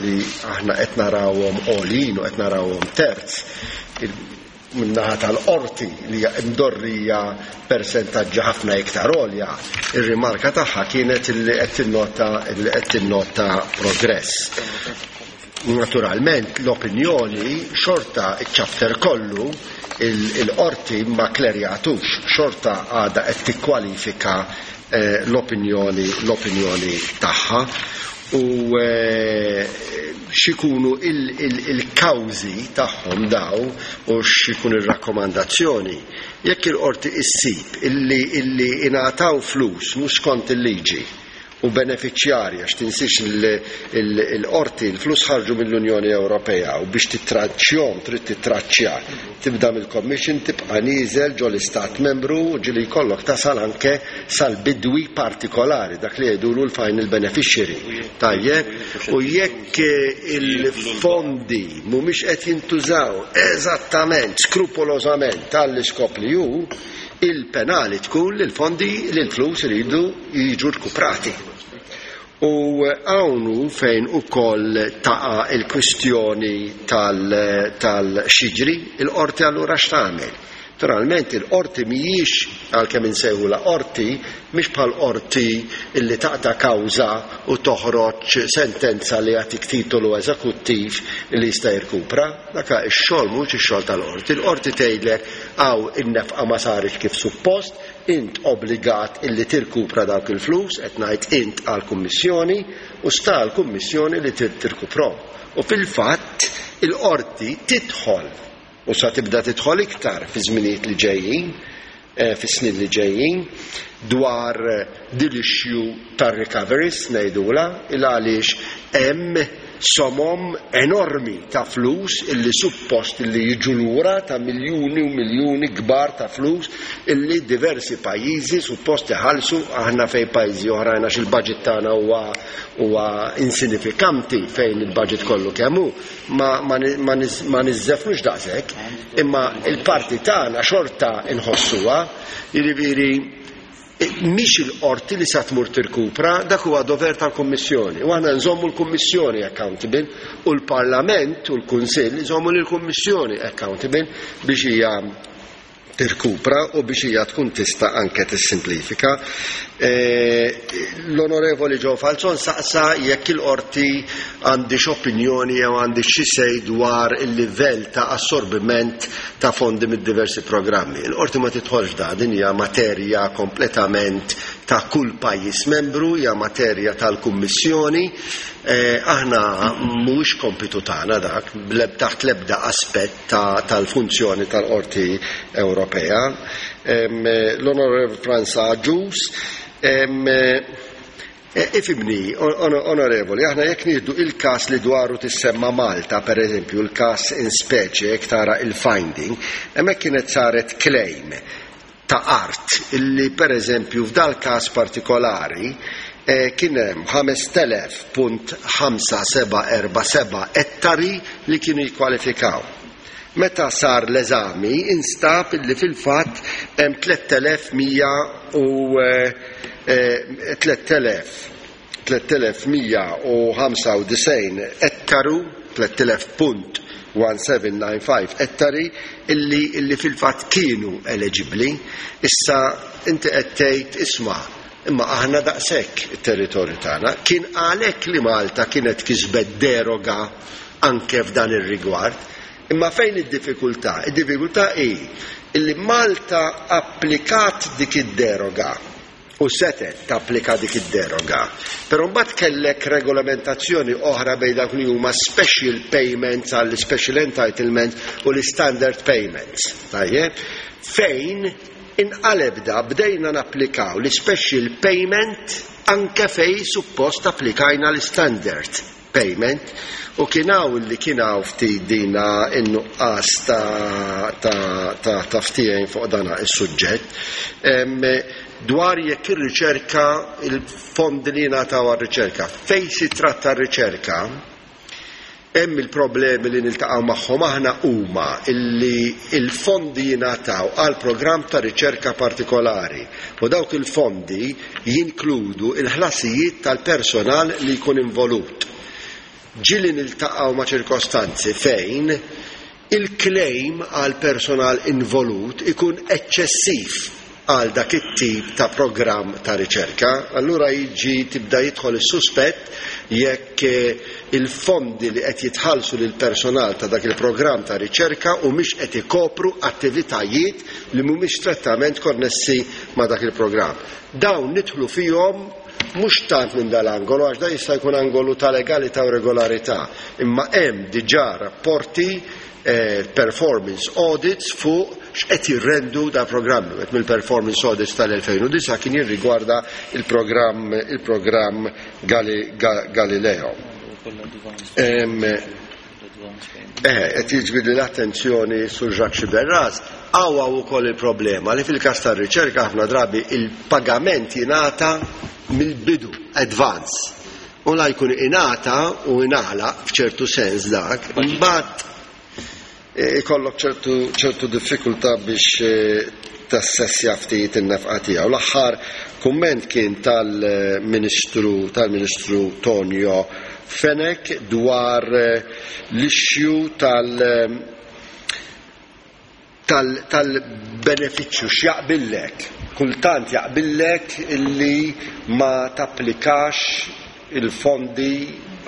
li aħna qed narawhom għoljin u qed narawhom terz min-naħa tal-qorti li hija mdorrija persentaġġi ħafna iktar għolja, ir-rimarka tagħha kienet li qed tinnota li qed tinnota progress. Naturalment l-opinjoni xorta iċ-chapter kollu il-qorti ma klerjatux, xorta għadha qed tikkwalifika l-opinjoni tagħha u x'ikunu il-kawżi tagħhom daw u x'ikun ir-rakkomandazzjoni. Jekk il-qorti issib illi ingħataw flus mhux skont il-liġi u benefiċjarji, għax tinsiex il-qorti, il-flus ħarġu mill-Unjoni Ewropea u biex tittraċċjhom trid tittraċċja. Tibda mill-Commission, tibqa' nieżel ġo l-Istat Membru u ġieli jkollok tasal anke sal-bidwi partikolari, dak li jgħidulu l-final beneficiary. Tajjeb? U jekk il-fondi mhumiex qed jintużaw eżattament, skrupolożament għall-iskop li hu, il-penali tkun li l-fondi, li l-flus iridu jiġu rkuprati. U hawn hu fejn ukoll taqa' l-kwistjoni tal-x'jiġri, il-qorti allura x'tagħmel? Naturalment il-qorti mhijiex, għalkemm insejħulha qorti, mhix bħal qorti li taqta' kawża u toħroġ sentenza li jagħtik titolu eżekuttiv li jista' jirkupra. Dak ix-xogħol mhuwiex ix-xogħol tal-qorti. Il-qorti tgħidlek hawn in-nefqa ma saritx kif suppost, int obbligat illi tirkupra dawk il-flus, qed ngħid int għall-Kummissjoni, u sta għall-Kummissjoni li tirkuprhom. U fil-fatt il-qorti tidħol, u sa tibda tidħol iktar fi żminijiet li ġejjin, fis-snin li ġejjin, dwar din l-issue tar-recoveries ngħidulha, il għaliex hemm somom enormi ta' flus illi suppost illi jiġu lura, ta' miljuni u miljuni kbar ta' flus illi diversi pajjiżi suppost iħallsu, aħna fejn pajjiżi oħrajn għax il-budget tagħna huwa huwa insinifikanti fejn il-budget kollu kemm hu, ma, ma, ma, ma niżżefnux daqshekk, imma il-parti tagħna xorta nħossuha, jiġifieri mhix il-qorti li sa tmur tirkupra, dak huwa dover tal-Kummissjoni. U aħna nżommu l-Kummissjoni accountable u l-Parlament u l-Kunsill iżommu lill-Kummissjoni accountable biex hija tirkupra u biex hija tkun tista' anke tissimplifika. L-Onorevoli Joe Falzon saqsa jekk il-qorti għandhiex opinjoni jew għandhiex xi say dwar il-livell ta' assorbiment ta' fondi mid-diversi programmi. Il-qorti ma tidħolx f'dan, din hija materja kompletament ta' kull pajjiż membru, hija materja tal-Kummissjoni. Aħna mhuwiex kompitu tagħna dak, taħt l-ebda aspett tal-funzjoni tal-Qorti Ewropea. L-Onorevoli Franz Agius, Ifhimni, Onorevoli, aħna jekk nieħdu il-każ li dwaru tissemma Malta, per eżempju, il-każ in specie, jekk tara il-finding, hemmhekk kienet saret claim ta' art illi per eżempju f'dal-każ partikolari kien hemm 5000.5747 ettari li kienu jikkwalifikaw. Meta sar l-eżami instab illi fil-fatt hemm 3100 u 3195 ettaru, 3000.1795 ettari illi illi fil-fatt kienu eleġibbli. Issa inti qed tgħid isma' imma aħna daqshekk it-territorju tagħna. Kien għalhekk li Malta kienet kisbet deroga anke f'dan ir-rigward. Imma fejn id-diffikultà? Id-diffikultà hi illi Malta applikat dik id-deroga u setgħet tapplika dik id-deroga, però mbagħad kellek regolamentazzjoni oħra bejn dawk li huma special payments għall special entitlements u l-istandard payments. Tajjeb? Fejn inqaleb da bdejna napplikaw l-special payment anke fejn suppost applikajna l-istandard payment u kien hawn li kien hawn ftit dina n-nuqqas ta' ta' ta' ta' ftehim fuq dana is-suġġett. Dwar jekk ir-riċerka, il-fondi li jingħataw għar-riċerka, fejn si tratta r-riċerka, hemm il-problemi li niltaqgħu magħhom aħna huma illi l-fondi jingħataw għal programm ta' riċerka partikolari u dawk il-fondi jinkludu l-ħlasijiet tal-personal li jkun involut. Ġieli niltaqgħu ma' ċirkostanzi fejn il-claim għall-personal involut ikun eċċessiv għal dak it-tip ta' programm ta' riċerka. Allura jiġi tibda jidħol is-suspett jekk il-fondi li qed jitħallsu lill-personal ta' dak il-programm ta' riċerka humiex qed ikopru attivitajiet li mhumiex strettament konnessi ma' dak il-programm. Dawn nidħlu fihom mhux tant minn dal-angolu għax dan jista' jkun angolu ta' legalità u regolarità, imma hemm diġà rapporti, performance audits fuq x'qed jirrendu da programmi. Wieħed mill-performance audits tal-2009 kien jirrigwarda il-programm il-programm Galileo. Eh, qed jiġbidli l-attenzjoni sur Jacques Sciberras, hawn hawn ukoll il-problema li fil-każ tar-riċerka ħafna drabi il-pagament jingħata mill-bidu, advance. U la jkun ingħata u ingħalaq f'ċertu sens dak, imbagħad eh, ikollok ċertu ċertu diffikultà biex eh, tassessja ftit in-nefqa tiegħu. L-aħħar kumment kien tal-Ministru tal-Ministru Tonio Fenech dwar eh, l-issue tal- tal-benefiċċju x'jaqbillek. Kultant jaqbillek illi ma tapplikax il-fondi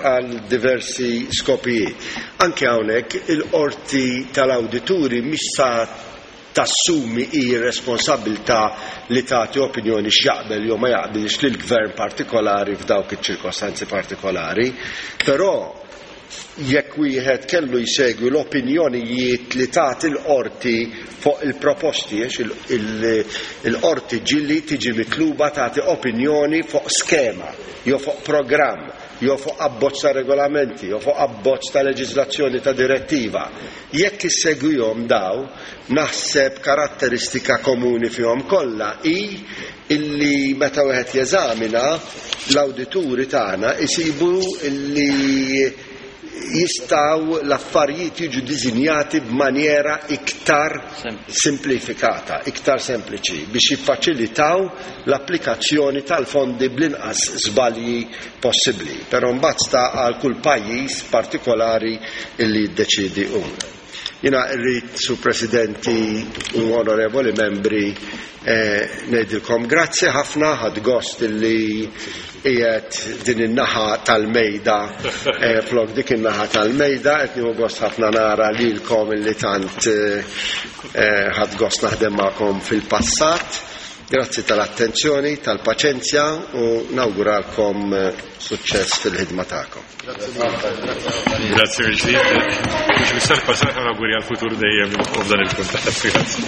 għal diversi skopijiet. Anke hawnhekk il-qorti tal-awdituri mhix sa tassumi hi r-responsabbiltà li tagħti opinjoni x'jaqbel jew ma jaqbilx lil gvern partikolari f'dawk iċ-ċirkostanzi partikolari. Però jekk wieħed kellu jsegwi l-opinjonijiet li tagħti l-qorti fuq il-proposti, għax il-qorti ġieli tiġi mitluba tagħti opinjoni fuq skema jew fuq programm jew fuq abbozz ta' regolamenti jew fuq abbozz ta' leġiżlazzjoni ta' direttiva. Jekk issegwihom daw, naħseb karatteristika komuni fihom kollha hi illi meta wieħed jeżamina l-awdituri tagħna isibu illi jistgħu l-affarijiet jiġu diżinjati b'manjera iktar simplifikata, iktar sempliċi biex jiffaċilitaw l-applikazzjoni tal-fondi bl-inqas żbalji possibbli. Però mbagħad sta għal kull pajjiż partikolari illi jiddeċiedi hu. Jiena rrid, Sur Presidenti u Onorevoli Membri, eh, ngħidilkom grazzi ħafna, ħadt gost illi qiegħed din in-naħa tal-mejda eh, flok dik in-naħa tal-mejda, qed nieħu gost ħafna nara lilkom illi tant eh, ħadt gost naħdem magħkom fil-passat. Grazzi tal-attenzjoni, tal-paċenzja u nawguralkom suċċess fil-ħidma tagħkom. Grazzi mill-ġdid. Mhux biss tal-passat, ma nawguri għall-futur dejjem u f'dan il-kuntatt. Grazzi.